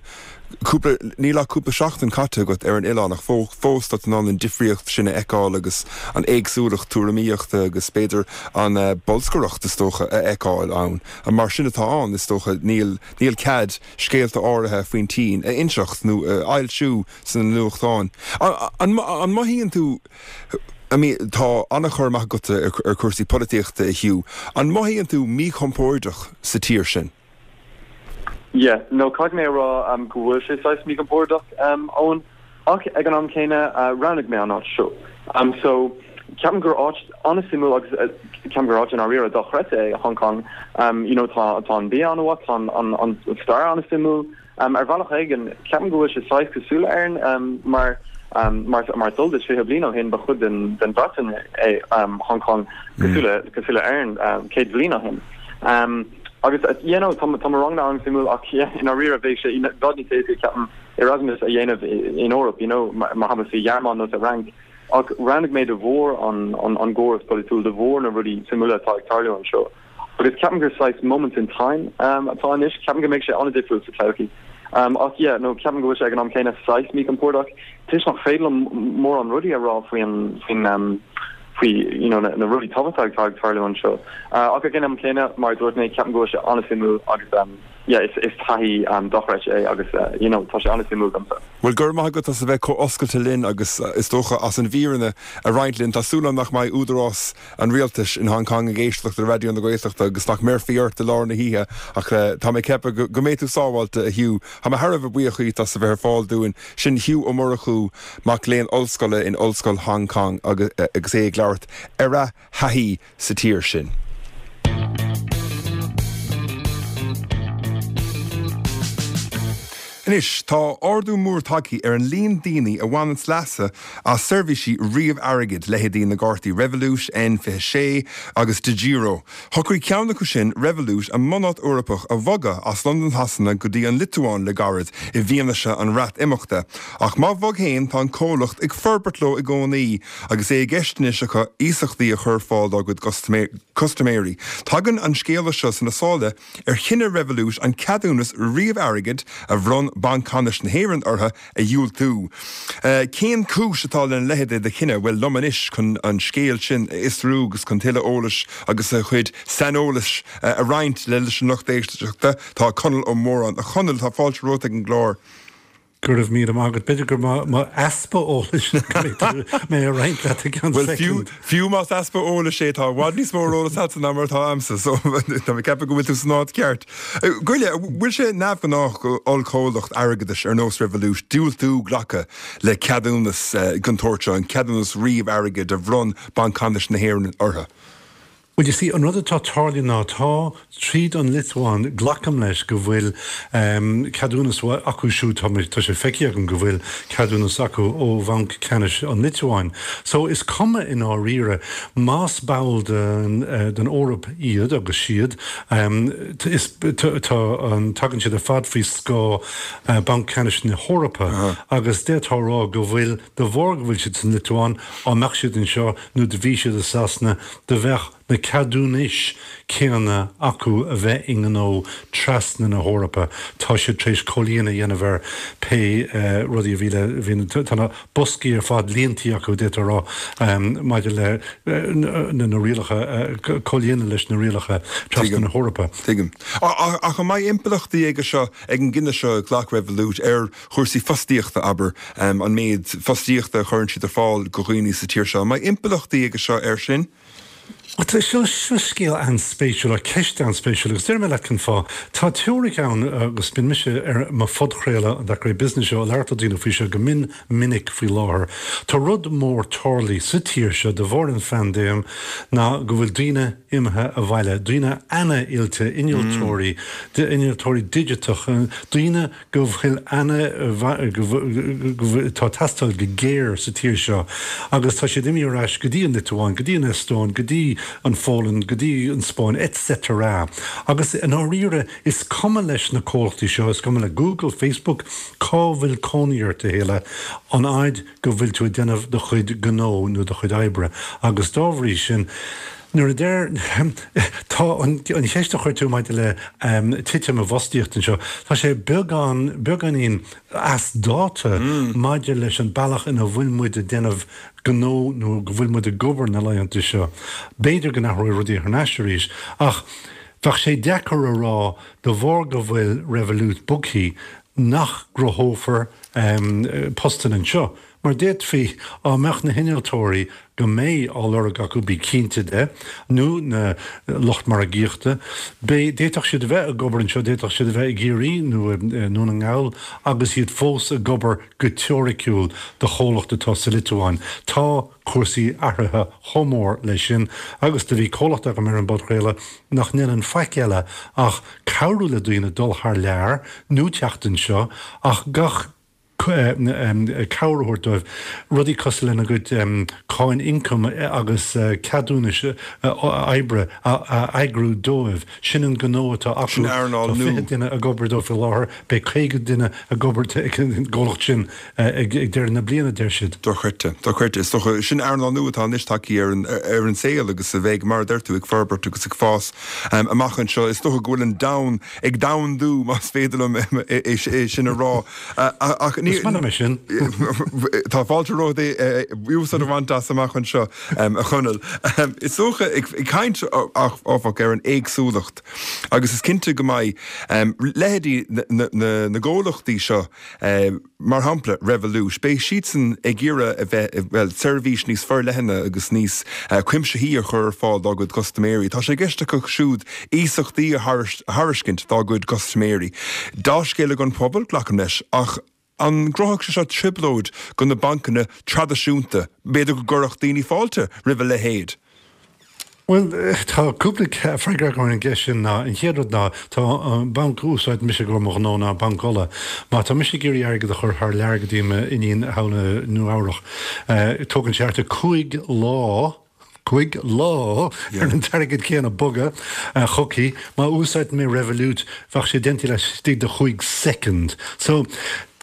S1: cúpla, níl ach cúpla seachtain caite agat ar an oileán ach fós tá tú in ann an difríocht sin a fheiceáil agus an éagsúlacht tuairimíochta agus b'fhéidir an bolscaireacht is dócha a fheiceáil ann. Mar sin atá ann is dócha, níl, níl cead scéalta áirithe faoin tSín a inseacht nó a fhoilsiú sna nuachtáin. An, an mothaíonn tú, I mean, tá an-chur amach agat ar chúrsaí polaitíochta, a Hugh. An mothaíonn tú míchompordach sa tír sin?
S7: Yeah, no, caithfidh mé a rá go bhfuil sé saghas míchompordach, Eoin, ach ag an am céanna, roghnaigh mé an áit seo. So, ceapaim gur áit an-suimiúil agus ceapaim gur áit i ndáiríre dochreidte é Hong Kong. You know, tá tá an bia an-mhaith, tá an an stair an-suimiúil. Ar bhealach éigin, ceapaim go bhfuil sé saghas cosúil le Éirinn, mar mar mar is eol duit, 20 bliain ó shin ba chuid den den Bhreatain é Hong Kong, cosúil le cosúil le Éirinn 100 bliain ó shin. Agus you know, tá tá mo ranganna an-suimiúil ach yeah, i ndáiríre bheadh sé i bhfad níos éasca ceapaim Erasmus a dhéanamh in Eoraip, you know, mar shampla sa Ghearmáin nó sa Fhrainc. Ach roghnaigh mé de bharr an an an gcóras polaitiúil, de bharr na rudaí suimiúla atá ag tarlú anseo. Agus ceapaim gur saghas moment in time atá anois. Ceapaim go mbeidh sé an-difriúil sa todhchaí. Ach yeah, no, ceapaim go bhfuil sé ag an am céanna saghas míchompordach toisc nach féidir liom mórán rudaí a rá faoi an, faoin, faoi, you know, na rudaí tábhachtacha atá ag tarlú anseo. Ach ag an am céanna, mar a dúirt mé, ceapaim go bhfuil sé an-suimiúil agus yeah, is, is taithí dochreidte é agus you know, tá sé an-suimiúil domsa.
S1: Bhuel, go raibh maith agat as a bheith chomh oscailte linn agus is dócha as an bhfírinne a roinnt linn. Tá súil agam nach mbeidh údarás an rialtais in Hong Kong ag éisteacht le Raidió na Gaeltachta agus nach mbéarfaí ort i lár na hoíche ach tá mé ag ceapadh go mbeidh tú sábháilte, a Hugh. Tá mé thar a bheith buíoch díot as a bheith ar fáil dúinn. Sin Hugh Ó Murchú, mac léinn ollscoile in Ollscoil Hong Kong agus é ag labhairt ar a thaithí sa tír sin. Anois, tá ardú mór tagtha ar an líon daoine a bhaineanns leas as seirbhísí ríomh-airgid, leithéidí na gcártaí Revolut, N26 agus Degiro. Shocraigh ceann acu sin, Revolut, a mbunáit Eorpach a bhogadh as Londain Shasana go dtí an Liotuáin le gairid i bhfianaise an Bhreatimeachta. Ach má bhog fhéin, tá an comhlacht ag forbairt leo i gcónaí agus é i gceist anois acu iasachtaí a chur ar fáil dá gcuid custaiméirí. Tagann an scéala seo sna sála ar chinneadh Revolut an ceadúnas ríomh-airgid a bhronn Banc Ceannais na hÉireann orthu a dhiúltú. Cén chúis atá lena leithéid de chinneadh? Bhuel, liom anois chun an scéal sin a fhiosrú agus chun tuilleadh eolais agus a chuid saineolais a roinnt leis an lucht éisteachta tá Conall Ó Móráin. A Chonaill, tá fáilte romhat ag an gclár.
S8: Go raibh míle maith agat. B'fhéidir gur m'easpa eolais go mbeidh mé a roinnt leat i gceann
S1: soicind. Bhuel, fiú más easpa eolais é, tá i bhfad níos mó ar eolas agatsa ná mar atá a'msa, so tá mé ag ceapadh go bhfuil tú san áit cheart. Goile, bhfuil sé neamhghnách d'ollchomhlacht airgeadais ar nós Revolut diúltú glacadh le ceadúnas den tsórt seo, an ceadúnas ríomh-airgid a bhronn Banc Ceannais na hÉireann orthu?
S8: Bhuel, you see, an rud atá tarlaithe ná tá, tríd an Liotuáin, glacaim leis go bhfuil ceadúnas acu siúd, tá mé, tá sé feicthe agam go bhfuil ceadúnas acu ó Bhanc Ceannais an Liotuáin. So, is cuma i ndáiríre, más ball den, den Eoraip iad agus siad, is, tá an, tagann siad ar fad faoi scáth Banc Ceannais na hEorpa agus d'fhéadfá a rá go bhfuil, de bharr go bhfuil siad san Liotuáin, á mbeadh siad anseo nó do bhí siad i Sasana, do bheadh na ceadúnais céanna acu a bheith i ngnó trasna na hEorpa. Tá siad tar éis comhlíonadh a dhéanamh ar pé rudaí a bhí le, bhí na, tá na boscaí ar fad líontaí acu, d'fhéadfá a rá, maidir le na rialacha, comhlíonadh leis na rialacha trasna na hEorpa.
S1: Tuigim. Ach an mbeidh impleachtaí aige seo, ag an gcinneadh seo a ghlac Revolut ar chúrsaí fostaíochta, abair, an méid fostaíochta a chuireann siad ar fáil go dhaoine sa tír seo. An mbeidh impleachtaí aige seo air sin?
S8: Tá, seo, seo scéal an-spéisiúil, nó ceist an-spéisiúil, agus déarfaidh mé leat cén fáth. Tá teoiric ann, agus bíonn mise ar mo phodchraoladh, an That Great Business Show, ag labhairt le daoine faoi seo go mion minic faoi láthair. Tá rud mór tarlaithe sa tír seo de bharr an phaindéim ná go bhfuil daoine imithe abhaile, daoine ana-oilte, innealtóirí, innealtóirí digiteacha, daoine go bhfuil ana, go bhfuil, tá teastáil go géar sa tír seo agus tá siad imithe ar ais go dtí an Liotuáin, go dtí an Eastóin, go dtí an Pholainn, go dtí an Spáinn etc. Agus i ndáiríre is cuma leis na comhlachtaí seo, is cuma le Google, Facebook, cá bhfuil cónaí ort a thuilleadh, an fhaid go bhfuil tú ag déanamh do chuid gnó nó do chuid oibre agus dá bhrí sin, Nuair a deir, tá an cheist a chuir tú maidir le titim i bhfostaíocht anseo, tá sé beagán, beagáinín as dáta maidir leis an bealach ina bhfuil muid ag déanamh gnó nó go bhfuil muid ag obair na laethanta seo. B'fhéidir go n-athróidh rudaí thar n-ais arís ach bheadh sé deacair a rá de bharr go bhfuil Revolut bogthaí nach gcruthófar postanna anseo. Mar d'fhéadfaí, á mbeadh na hinnealtóirí go mbeidh á lorg acu, bí cinnte de, nó na lucht margaíochta, beidh, d'fhéadfadh siad a bheith ag obair anseo, d'fhéadfadh siad a bheith i gCiarraí nó i nDún na nGall agus iad fós ag obair go teoiriciúil do chomhlacht atá sa Liotuáin. Tá cúrsaí athraithe chomh mór leis sin agus do bhí comhlacht agam ar an bpodchraoladh nach ndéanann faic eile ach cabhrú le daoine dul thar lear nó teacht anseo ach gach cabhair a thabhairt dóibh, rudaí cosúil lena gcuid cáin ioncaim agus ceadúnais oibre a eagrú dóibh. Sin an gnó atá acu.
S1: Sin earnáil
S8: Tá
S1: nua.
S8: 20 duine ag obair dóibh faoi láthair, beidh 50 duine ag obair ag an gcomhlacht sin ag deireadh na bliana, deir siad.
S1: Dochreidte. Dochreidte. Is dócha, sin earnáil nua atá anois tagtha ar an ar an saol agus a bheidh, mar a deir tú, ag forbairt agus ag fás amach anseo. Is dócha go bhfuil an domhan ag domhandú, más féidir liom é sin a rá. Ach ní.
S8: Is maith liom é sin.
S1: Tá fáilte romhat é úsáid a bhaint as amach anseo, a Chonaill. Is dócha, ag caint, áfach, ar an éagsúlacht, agus is cinnte go mbeidh leithéidí na gcomhlachtaí seo, Mar shampla, Revolut, beidh siadsan ag iarraidh a bheith, bhuel, seirbhís níos forleithne agus níos cuimsithí a chur ar fáil dá gcuid custaiméirí. Tá sé i gceist acu siúd iasachtaí a thairiscint dá gcuid custaiméirí. Dea-scéala don phobal, glacaim leis, ach an gcruthódh sé seo trioblóid do na bancanna traidisiúnta? B'fhéidir go gcuirfeadh daoine fáilte roimh a leithéid?
S8: Bhuel, tá cúpla freagra agam ar an gceist sin ná, an chéad rud ná, tá an banc a úsáideann mise i gcomhair mo ghnó ná Banc Uladh. Má tá mise ag iarraidh airgead a chur thar lear go dtí m'iníon thall i Nua Eabhrach, tógann sé thart ar 5 lá, 5 lá, ar an t-airgead céanna bogadh chuici. Má úsáideann mé Revolut, bheadh sé déanta laistigh de chúig soicind. So,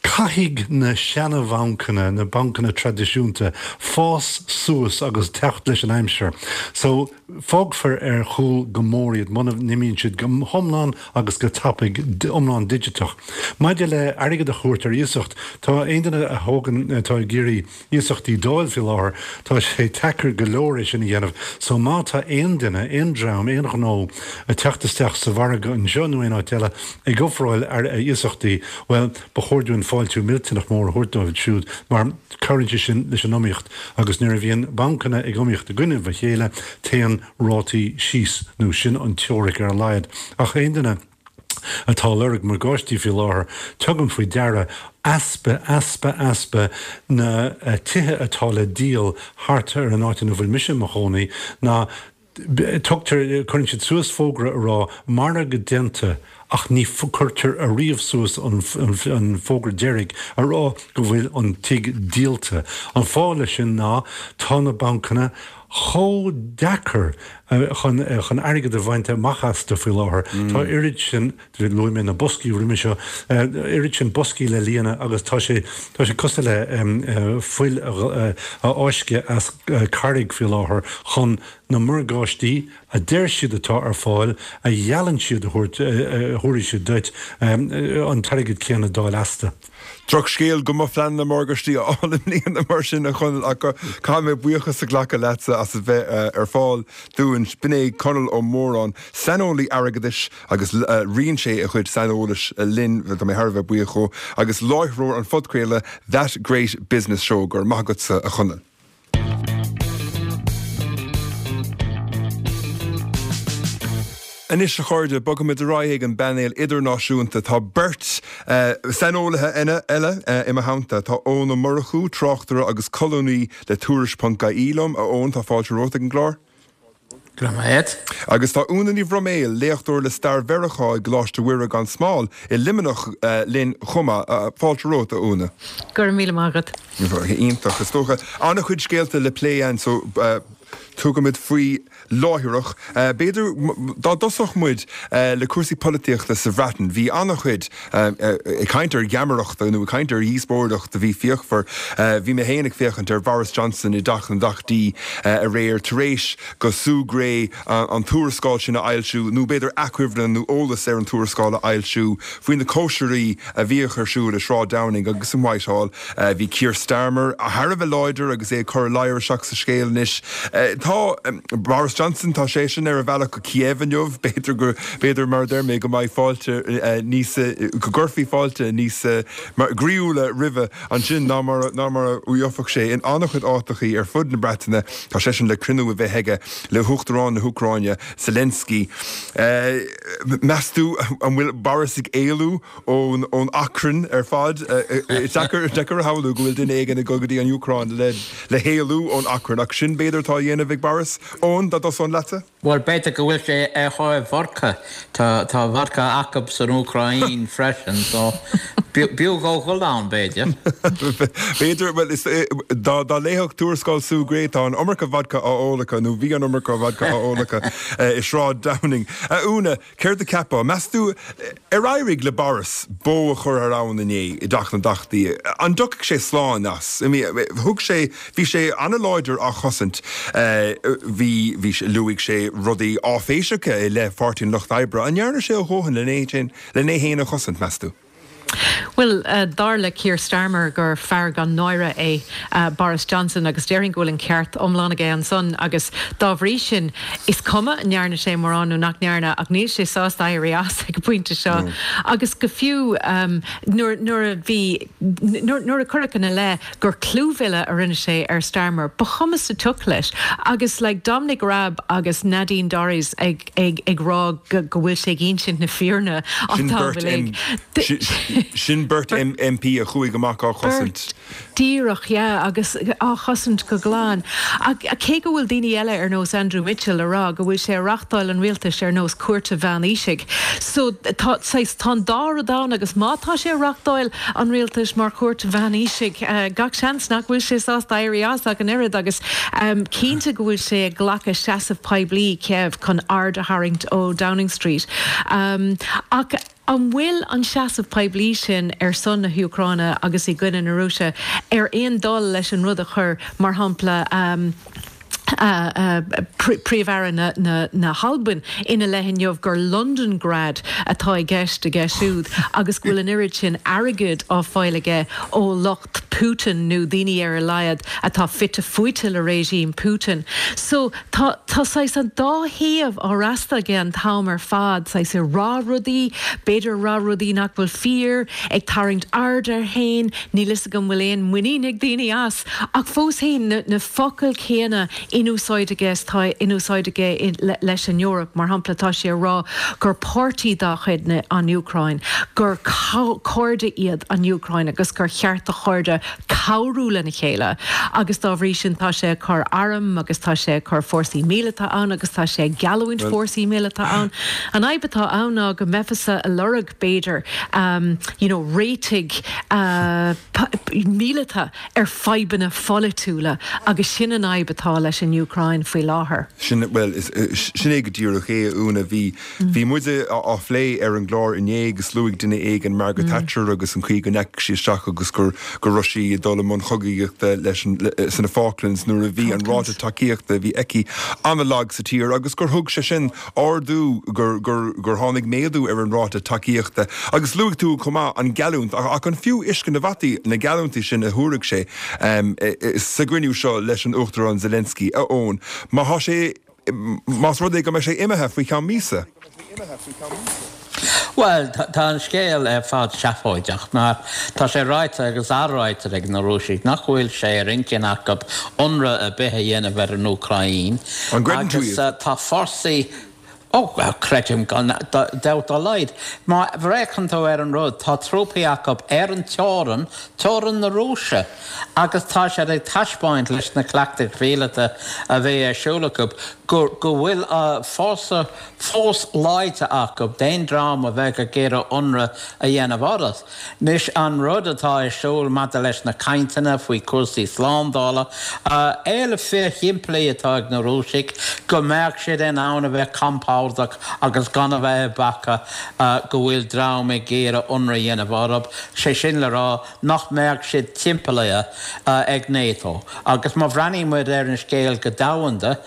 S8: Caithfidh na seana-bhancanna, na bancanna traidisiúnta, fás suas agus teacht leis an aimsir. So, fágfar ar chúl go mór iad muna n-imíonn siad go hiomlán agus go tapaidh, iomlán digiteach. Maidir le airgead a thabhairt ar iasacht, tá aon duine a thógann, atá ag iarraidh iasachtaí d'fháil faoi láthair, tá sé deacair go leor é sin a dhéanamh. So má tá aon duine, aon dream, aon ghnó ag teacht isteach sa mhargadh anseo nó aon áit eile ag ofráil iasachtaí, bhuel, ba chóir dúinn fáiltiú millteanach mór a thabhairt dóibh siúd mar cabhraíonn sé sin leis an iomaíocht agus nuair a bhíonn bancanna ag iomaíocht i gcoinne a chéile, téann rátaí síos, nó sin an teoiric ar a laghad. Ach aon duine. atá ag lorg morgáistí faoi láthair, tugaim faoi deara easpa, easpa, easpa na tithe atá le díol thart ar an áit ina bhfuil mise i mo chónaí ná tugtar, cuireann siad suas fógra a rá margadh déanta ach ní cuirtear ariamh suas an fógra deiridh a rá go bhfuil an tigh díolta. An fáth leis sin ná tá na bancanna chomh deacair chun chun airgead a bhaint amach astu faoi láthair. Tá oiread sin, luaigh mé na boscaí roimhe seo, oiread sin boscaí le líonadh agus tá sé tá sé cosúil le fuil a fháisceadh as carraig faoi láthair chun na morgáistí a deir siad atá ar fáil, a gheallann siad a thabhairt, a thabharfaidh siad duit, an t-airgead céanna d'fháil astu.
S1: Drochscéal go mba phleananna morgáistí a fháil i mbliana mar sin, a Chonaill, ach caithfidh mé buíochas a ghlacadh leatsa as a bheith ar fáil dúinn. B'in é Conall Ó Móráin, saineolaí airgeadais agus roinn sé a chuid saineolais linn, tá mé thar a bheith buíoch dhó, agus láithreoir an phodchraoladh That Great Business Show. Go raibh maith agatsa, a Chonaill. Anois, a chairde, bogfaimid ar aghaidh ag an bpainéal idirnáisiúnta. Tá beirt saineolaithe eile i mo theannta. Tá Eoin Ó Murchú, tráchtaire agus colúnaí le Tuairisc ponc ie liom. A Eoin, tá fáilte romhat ag an gclár.
S9: Go raibh maith agat.
S1: Agus tá Úna Ní Bhroiméil, léachtóir le stair Mheiriceá i gColáiste Mhuire gan Smál i Luimneach linn chomh maith. Fáilte romhat, a Úna.
S10: Go raibh míle maith agat.
S1: Iontach, is dócha. An-chuid scéalta le plé ann so tugaimid faoi láithreach. B'fhéidir dá dtosódh muid le cúrsaí polaitíochta sa Bhreatain. Bhí an-chuid ag caint ar gheamaireacht nó ag caint ar dhíospóireacht a bhí fíochmhar. Bhí mé féin ag féachaint ar Bhoris Johnson i dTeach na dTeachtaí aréir tar éis go Sue Gray an tuarascáil sin a fhoilsiú, nó b'fhéidir achoimre nó eolas ar an tuarascáil a fhoilsiú, faoi na cóisirí a bhíodh ar siúl i Sráid Downing agus in Whitehall. Bhí Keir Starmer thar a bheith láidir agus é ag cur ladhar isteach sa scéal anois. Tá Boris Johnson, tá seisean ar a bhealach go Kiev inniu, b'fhéidir go, b'fhéidir mar a deir mé, go mbeidh fáilte níos, go gcuirfí fáilte níos groíúla roimhe ansin ná mar, ná mar a gheobhadh sé in an-chuid áiteachaí ar fud na Breataine. Tá seisean le cruinniú a bheith aige le hUachtarán na hÚcráine, Zelensky. Meas tú an bhfuil Boris ag éalú ón ón achrann ar fad. Is deacair deacair a shamhlú go bhfuil duine éigin ag dul go dtí an Úcráin le le héalú ón achrann ach sin b'fhéidir atá á dhéanamh ag Boris. Eoin, dá dtosóinn leatsa?
S9: Bhuel, b'fhéidir go bhfuil sé ar thóir vodka. Tá tá vodka acub san Úcráin freisin so b'fhiú dhó dhul ann, b'fhéidir.
S1: B'fhéidir, bhuel is dá dá léifeadh tuarascáil Sue Gray tá an iomarca vodka á ól acu nó bhí an iomarca vodka á ól acu i Sráid Downing. A Úna, Céard a cheapfá? Meas tú ar éirigh le Boris bó a chur thar abhainn inné i dTeach na dTeachtaí? An dtiocfaidh sé slán as? Thug sé, bhí sé an-láidir á chosaint. Bhí, bhí, luaigh sé rudaí áiféiseacha i leith Pháirtí an Lucht Oibre. An ndearna sé a dhóthain len é féin a chosaint, meas tú?
S10: Bhuel, dar le Keir Starmer gur fear gan náire é Boris Johnson agus déarfainn go bhfuil an ceart iomlán aige ansan agus dá bhrí sin is cuma an ndearna sé mórán nó nach ndearna ach níl sé sásta éirí as ag an bpointe seo agus go fiú nuair nuair a bhí nuair a cuireadh ina leith gur clúmhilleadh a rinne sé ar Starmer ba chuma sa tsioc leis agus like Dominic Raab agus Nadine Dorries ag ag ag rá go go bhfuil sé ag insint na fírinne an
S1: Sin
S10: t-am
S1: beirt
S10: uilig.
S1: Sin beirt MP a chuaigh amach á chosaint.
S10: Díreach, yeah, agus á chosaint go glan. Ach cé go bhfuil daoine eile ar nós Andrew Mitchell a rá go bhfuil sé a reachtáil an rialtais ar nós cúirte mheánaoisigh. So tá, saghas, tá an dá rud ann agus má tá sé a reachtáil an rialtais mar chúirt mheánaoisigh, gach seans nach bhfuil sé sásta éirí as ach an oiread agus cinnte go bhfuil sé ag glacadh seasamh poiblí, Kev, chun aird a tharraingt ó Downing Street. Ach an bhfuil an seasamh poiblí sin ar son na hÚcráine agus i gcoinne na Rúise ar aon dul leis an rud a chuir, mar shampla, Príomh-Aire na hAlban ina leith inniu gur Londongrad atá i gceist aige siúd agus go bhfuil an oiread sin airgid á fáil aige ó lucht Putin nó daoine ar a laghad atá fite fuaite le regime Putin. So tá tá saghas an dá thaobh á fhreastal aige an t-am ar fad, saghas ag rá rudaí, b'fhéidir ag rá rudaí nach bhfuil fíor, ag tarraingt aird air féin, níl fhios agam bhfuil aon muinín ag daoine as. Ach fós féin, na focail chéanna in úsáid aige is atá in úsáid aige leis an Eoraip, mar shampla, tá sé ag rá gur páirtí dá chuid an Úcráin, gur cairde iad an Úcráin agus gur cheart do chairde cabhrú lena chéile agus dá bhrí sin tá sé ag cur arm agus tá sé ag cur fórsaí míleata ann agus tá sé ag geallúint fórsaí míleata ann. An fhadhb atá ann ná go mbeifeása ag lorg, b'fhéidir, you know réitigh míleata ar fadhbanna pholaitiúla agus sin an fhadhb atá leis an Úcráin faoi láthair.
S1: Sin, bhuel, sin é go díreach é, a Úna. Bhí, bhí muide á phlé ar an gclár inné agus luaigh duine éigin Margaret Thatcher agus an chaoi go ndeachaigh sí isteach agus gur, go raibh sí ag dul i mbun chogaíochta leis an, sna Falklands nuair a bhí an ráta tacaíochta a bhí aici an-lag sa tír agus gur thug sé sin ardú, gur, gur, gur tháinig méadú ar an ráta tacaíochta. Agus luaigh tú chomh maith an geallúint, ach, ach an fiú uisce na bhfataí na geallúintí sin a thabharfaidh sé sa gcruinniú seo leis an Uachtarán Zelensky, a Eoin, má thá sé, más rud é go mbeidh sé imithe faoi cheann míosa?
S9: Bhuel, tá an scéal ar fad seafóideach mar tá sé ráite agus athráite ag na Rúisigh nach bhfuil sé ar intinn acu ionradh ar bith a dhéanamh ar an Úcráin
S1: An gcreideann tú
S9: agus
S1: iad?
S9: tá fórsaí Ó, creidim gan dabht dá laghad. Má fhéachann tú ar an rud, tá trúpaí acu ar an teorainn, teorainn na Rúise, agus tá siad ag taispeáint leis na cleachtais mhíleata a bhí ar siúl acu go bhfuil fórsa fós láidir acu d'aon dream a bheadh ag iarraidh ionradh a dhéanamh orthu. Anois, an rud atá ar siúl maidir leis na cainteanna faoi chúrsaí slándála, éileamh fíorshimplí atá ag na Rúisigh, go mbeadh siad in ann a bheith compordach agus gan a bheith ag bacadh go bhfuil dream ag iarraidh ionradh a dhéanamh orthu, sé sin le rá nach mbeadh siad timpeallaithe ag NATO. Agus má bhreathnaíonn muid ar an scéal go domhanda,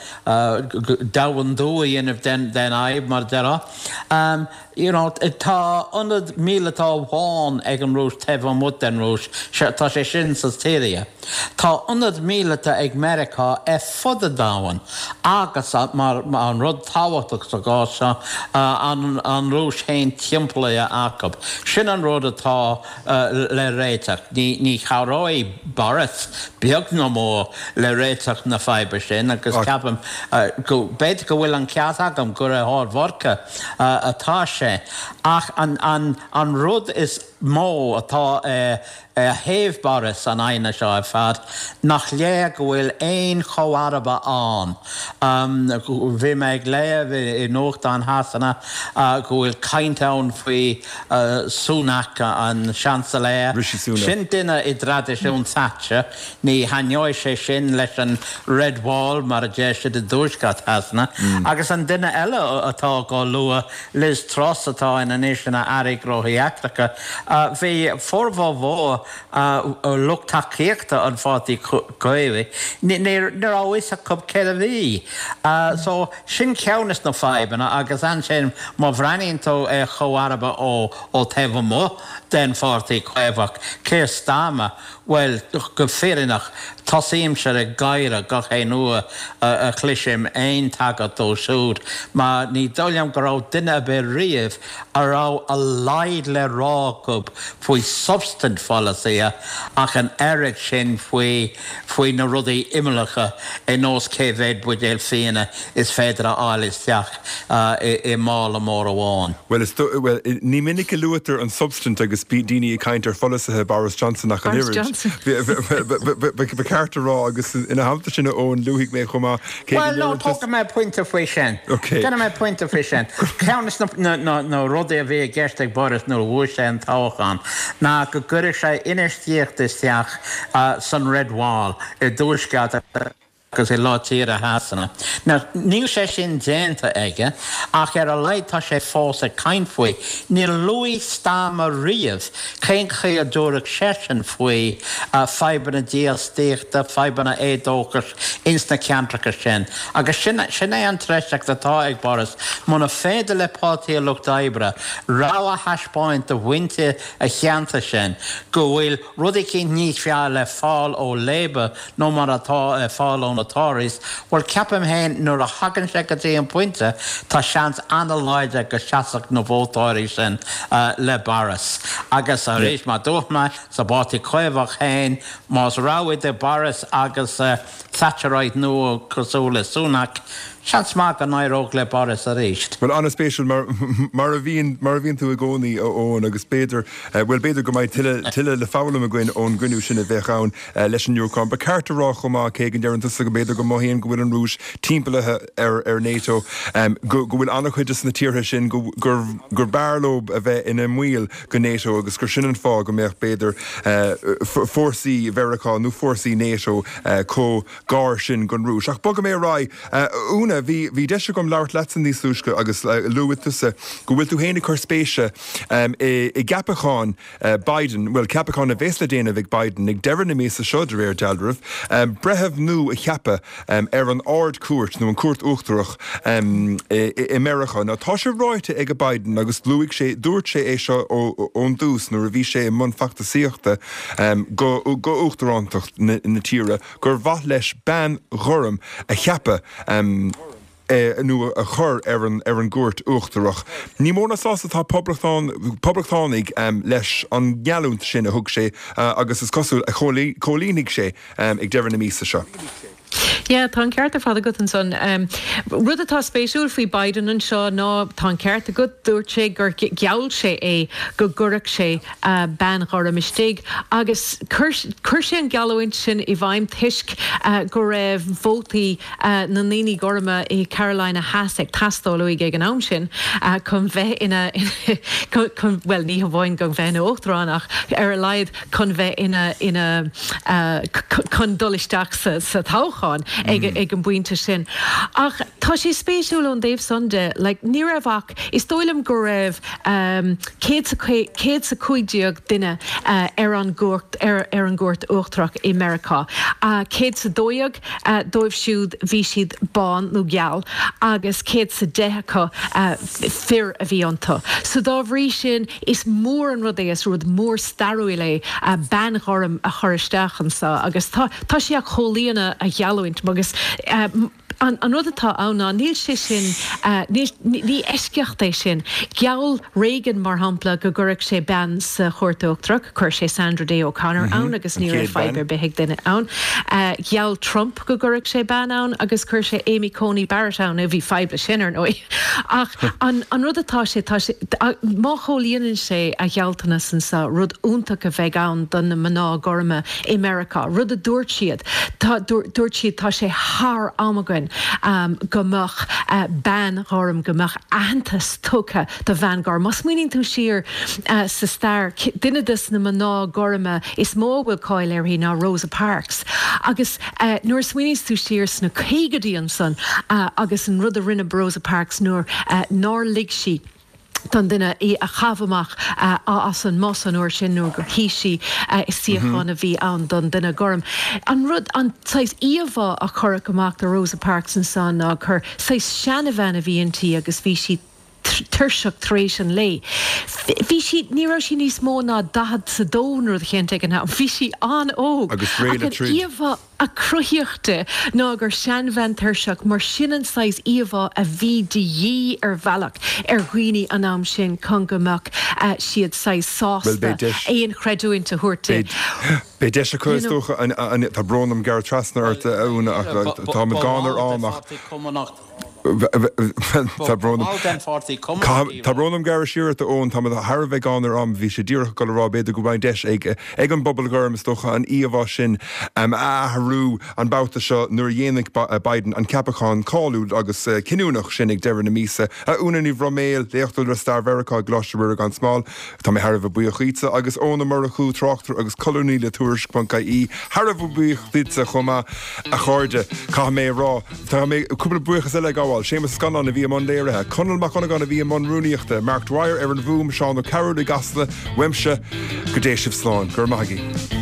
S9: domhandú a dhéanamh den fhadhb, mar a déarfá. You know, tá ionad míleata amháin ag an Rúis taobh amuigh den Rúis, tá sé sin sa tSiria. Tá ionad míleata ag Meiriceá ar fud an domhain agus, mar an rud tábhachtach sa gcás seo, an Rúis féin timpeallaithe acu. Sin an rud atá le réiteach. Ní chabhróidh Boris, beag ná mór, le réiteach na faidhbe sin agus ceapaim go, b'fhéidir go bhfuil an ceart agam gur ar thóir vodca atá sé ach an rud is mó atá ar thaobh Boris san aighneas seo ar fad, nach léir go bhfuil aon chomharba ann. Bhí mé ag léamh i nuachtáin Shasana go bhfuil caint ann faoi Sunak, an Seansailéir.
S1: Rishi Sunak.
S9: Sin duine i dtraidisiún Thatcher. Ní thaitneoidh sé sin leis an Red Wall, mar a deir siad i dtuaisceart Shasana. Agus an duine eile atá á lua, Liz Truss, atá in anois ina Aire Gnóthaí Eachtracha, bhí formhór mhór lucht tacaíochta an Pháirtí Chaomhaigh, ní raibh a fhios acu céard a bhí. So, sin ceann des na fadhbanna agus ansin má bhreathnaíonn tú ar chomharba ó taobh amuigh den Pháirtí Caomhach, Keir Starmer, bhuel, go fírinneach, tosaímse ag gáire gach aon uair a chloisim aon tagairt dó siúd mar ní dóigh liom go raibh duine ar bith riamh a raibh a laghad le rá acu faoi substaint pholasaithe ach an oiread sin faoi faoi na rudaí imeallacha ar nós cé mhéad buidéal fíona is féidir a fháil isteach i mála mór amháin.
S1: Bhuel, is, bhuel, ní minic a luaitear an substaint agus. daoine ag caint ar pholasaithe Boris Johnson ach an
S10: Boris
S1: oiread.
S10: Johnson.
S1: Ba cheart a rá agus ina theannta sin a Eoin, luafaidh mé chomh maith cé go
S9: Bhuel, no,
S1: ndeireann tusa.
S9: tógfaidh mé pointe faoi sin.
S1: Ok.
S9: Déanfaidh mé pointe faoi sin. Ceann de na rudaí a bhí i gceist ag Boris nuair a bhuaigh sé an toghchán ná go gcuirfeadh sé infheistíocht isteach san Red Wall i dtuaisceart agus i lár tíre Shasana. Now, níl sé sin déanta aige, ach ar a laghad tá sé fós ag caint faoi. Níor luaigh Starmer riamh cén chaoi a dtabharfadh seisean faoi fadhbanna dífhostaíochta, fadhbanna éadóchais ins na ceantracha sin. Agus sin, sin é an treise atá ag Boris. Muna féidir le Páirtí an Lucht Oibre rogha a thaispeáint do mhuintir a cheantair sin go bhfuil rud eicínt níos fearr le fáil ó Labour ná mar atá ar fáil ó na Tories, bhuel ceapaim féin nuair a thagann sé go dtí an pointe tá seans an-láidir go seasfadh na vótóirí sin le Boris. Agus arís, mar dúirt mé, sa bPáirtí Caomhach féin, más rogha idir Boris agus Thatcherite nua cosúil le Sunak, seans maith go n-éireodh le Boris arís.
S1: Bhuel, an-spéisiúil, mar, mar a bhíonn, mar a bhíonn tú i gcónaí, a Eoin, agus b'fhéidir, bhuel, b'fhéidir go mbeidh tuilleadh, tuilleadh le foghlaim againn ón gcruinniú sin a bheadh ann leis an Úcráin. Ba cheart a rá chomh maith, cé go ndeireann tusa go mb'fhéidir go mothaíonn go bhfuil an Rúis timpeallaithe ar, ar NATO, go, go bhfuil an-chuid de na tíortha sin go, gur, gur b'fhearr leo a bheith ina mbaill go NATO agus gur sin an fáth go mbeadh, b'fhéidir, fórsaí Mheiriceá nó fórsaí NATO chomh gar sin don Rúis. Ach bogfaidh mé ar aghaidh. A Úna, bhí, bhí deis agam labhairt leatsa níos túisce agus luaigh tusa go bhfuil tú féin ag cur spéise i, i gceapachán Biden, bhuel, ceapachán a bheas le déanamh ag Biden ag deireadh na míosa seo, de réir dealraimh, breitheamh nua a cheapadh ar an Ard-Chúirt, nó an Chúirt Uachtarach i Meiriceá. Now, tá sé ráite ag Biden, agus luaigh sé, dúirt sé é seo ón dtús nuair a bhí sé i mbun feachtasaíochta go uachtarántacht na tíre, gur mhaith leis bean ghorm a cheapadh nó a chur ar an ar an gCúirt Uachtarach. Ní mó ná sásta atá poblachtánaigh leis an ngeallúint sin a thug sé agus is cosúil a chomhlíonfaidh sé ag deireadh na míosa seo.
S10: Yeah, tá an ceart ar fad agat ansan. Rud atá spéisiúil faoi Biden anseo ná, tá an ceart agat, dúirt sé gur gheall sé é go gcuirfeadh sé bean ghorm istigh agus chuir sé an geallúint sin i bhfeidhm toisc go raibh vótaí na ndaoine gorma i Carolina Theas ag teastáil uaidh ag an am sin chun bheith ina, chun, bhuel ní hamháin chun bheith ina uachtarán ach ar a laghad chun bheith ina, ina, chun dul isteach sa, sa toghchán ag, ag an bpointe sin. Ach tá sé spéisiúil ón dtaobh san de, like ní raibh ach, is dóigh liom go raibh 115 duine ar an gcúirt, ar an gCúirt Uachtarach i Meiriceá. 112 dóibh siúd bhí siad bán nó geal agus 110 acu fir a bhí iontu. So dá bhrí sin is mór an rud é, is rud mór stairiúil é bean ghorm a chur isteach anseo agus tá tá sé ag comhlíonadh a gheallúint agus An rud atá ann ná níl sé sin, níl, ní eisceacht é sin. Gheall Reagan, mar shampla, go gcuirfeadh sé bean sa Chúirt Uachtarach, chuir sé Sandra Day O'Connor ann agus ní raibh fadhb ar bith ag duine ann. Gheall Trump go gcuirfeadh sé bean ann agus chuir sé Amy Coney Barrett ann, bhí fadhb leis sin, ar ndóigh. Ach an rud atá sé, tá sé, má chomhlíonann sé a ghealltanas anseo, rud iontach a bheidh ann do na mná gorma i Meiriceá, rud a dúirt siad, tá, dúirt siad, tá sé thar am againn go mbeadh bean ghorm, go mbeadh aitheantas tugtha do bhean ghorm. Má smaoiníonn tú siar sa stair, duine de na mná gorma is mó a bhfuil cáil uirthi ná Rosa Parks. Agus nuair a smaoiníonns tú siar sna caogaidí ansan agus an rud a rinne Rosa Parks nuair nár lig sí, don duine í a chaitheamh amach as an mbus an uair sin nuair gur shuigh sí i suíochán a bhí ann don duine gorm. An rud, an saghas íomhá a cuireadh amach de Rosa Parks ansan ná gur saghas seanabhean a bhí inti agus bhí sí tuirseach tar éis an lae. Bhí sí, ní raibh sí níos mó ná 42 nó rud eicínt ag an am, bhí sí an-óg.
S1: Agus réidh le
S10: Ach an
S1: troid.
S10: íomhá. a cruthaíodh di ná gur seanbhean tuirseach, mar sin an saghas íomhá a bhí de dhíth ar bhealach ar dhaoine an am sin chun go mbeadh siad saghas
S1: Bhuel,
S10: sásta
S1: beidh deis.
S10: aon chreidiúint a thabhairt di.
S1: Beidh, beidh deis acu,
S10: You
S1: is
S10: know.
S1: dócha, an, an, tá brón orm gearradh trasna ort, a Úna, ach
S9: Ba, ba,
S1: táimid
S9: ba
S1: gann ar
S9: bhall
S1: am
S9: de
S1: ach.
S9: Pháirtí Cumannach.
S1: Tá brón
S9: orm. Ball den Pháirtí Cumannach í.
S1: Tá brón orm gearradh siar ort, a Eoin, tá mé thar a bheith gann ar am, bhí sé díreach ag dul a rá b'fhéidir go mbeidh deis ag ag an bpobal gorm, is dócha, an íomhá sin a athrú an babhta seo nuair a dhéanfaidh Biden an ceapachán cáiliúil agus cinniúnach sin ag deireadh na míosa. A Úna Ní Bhroiméil, léachtóir le Stair Mheiriceá i gColáiste Mhuire gan Smál, tá mé thar a bheith buíoch dhíotsa, agus Eoin Ó Murchú, tráchtaire agus colúnaí le Tuairisc.ie, thar a bheith buíoch díotsa chomh maith, a chairde. Caithfidh mé a rá, tá mé cúpla buíochas eile a ghabháil, Séamus Ó Scanláin a bhí i mbun léirithe, Conall Mac Dhonnagáin a bhí i mbun rúnaíochta, Mark Dwyer ar an bhfuaim, Seán Ó Cearúil i gCasla, uaimse, go dté sibh slán. Go raibh maith agaibh.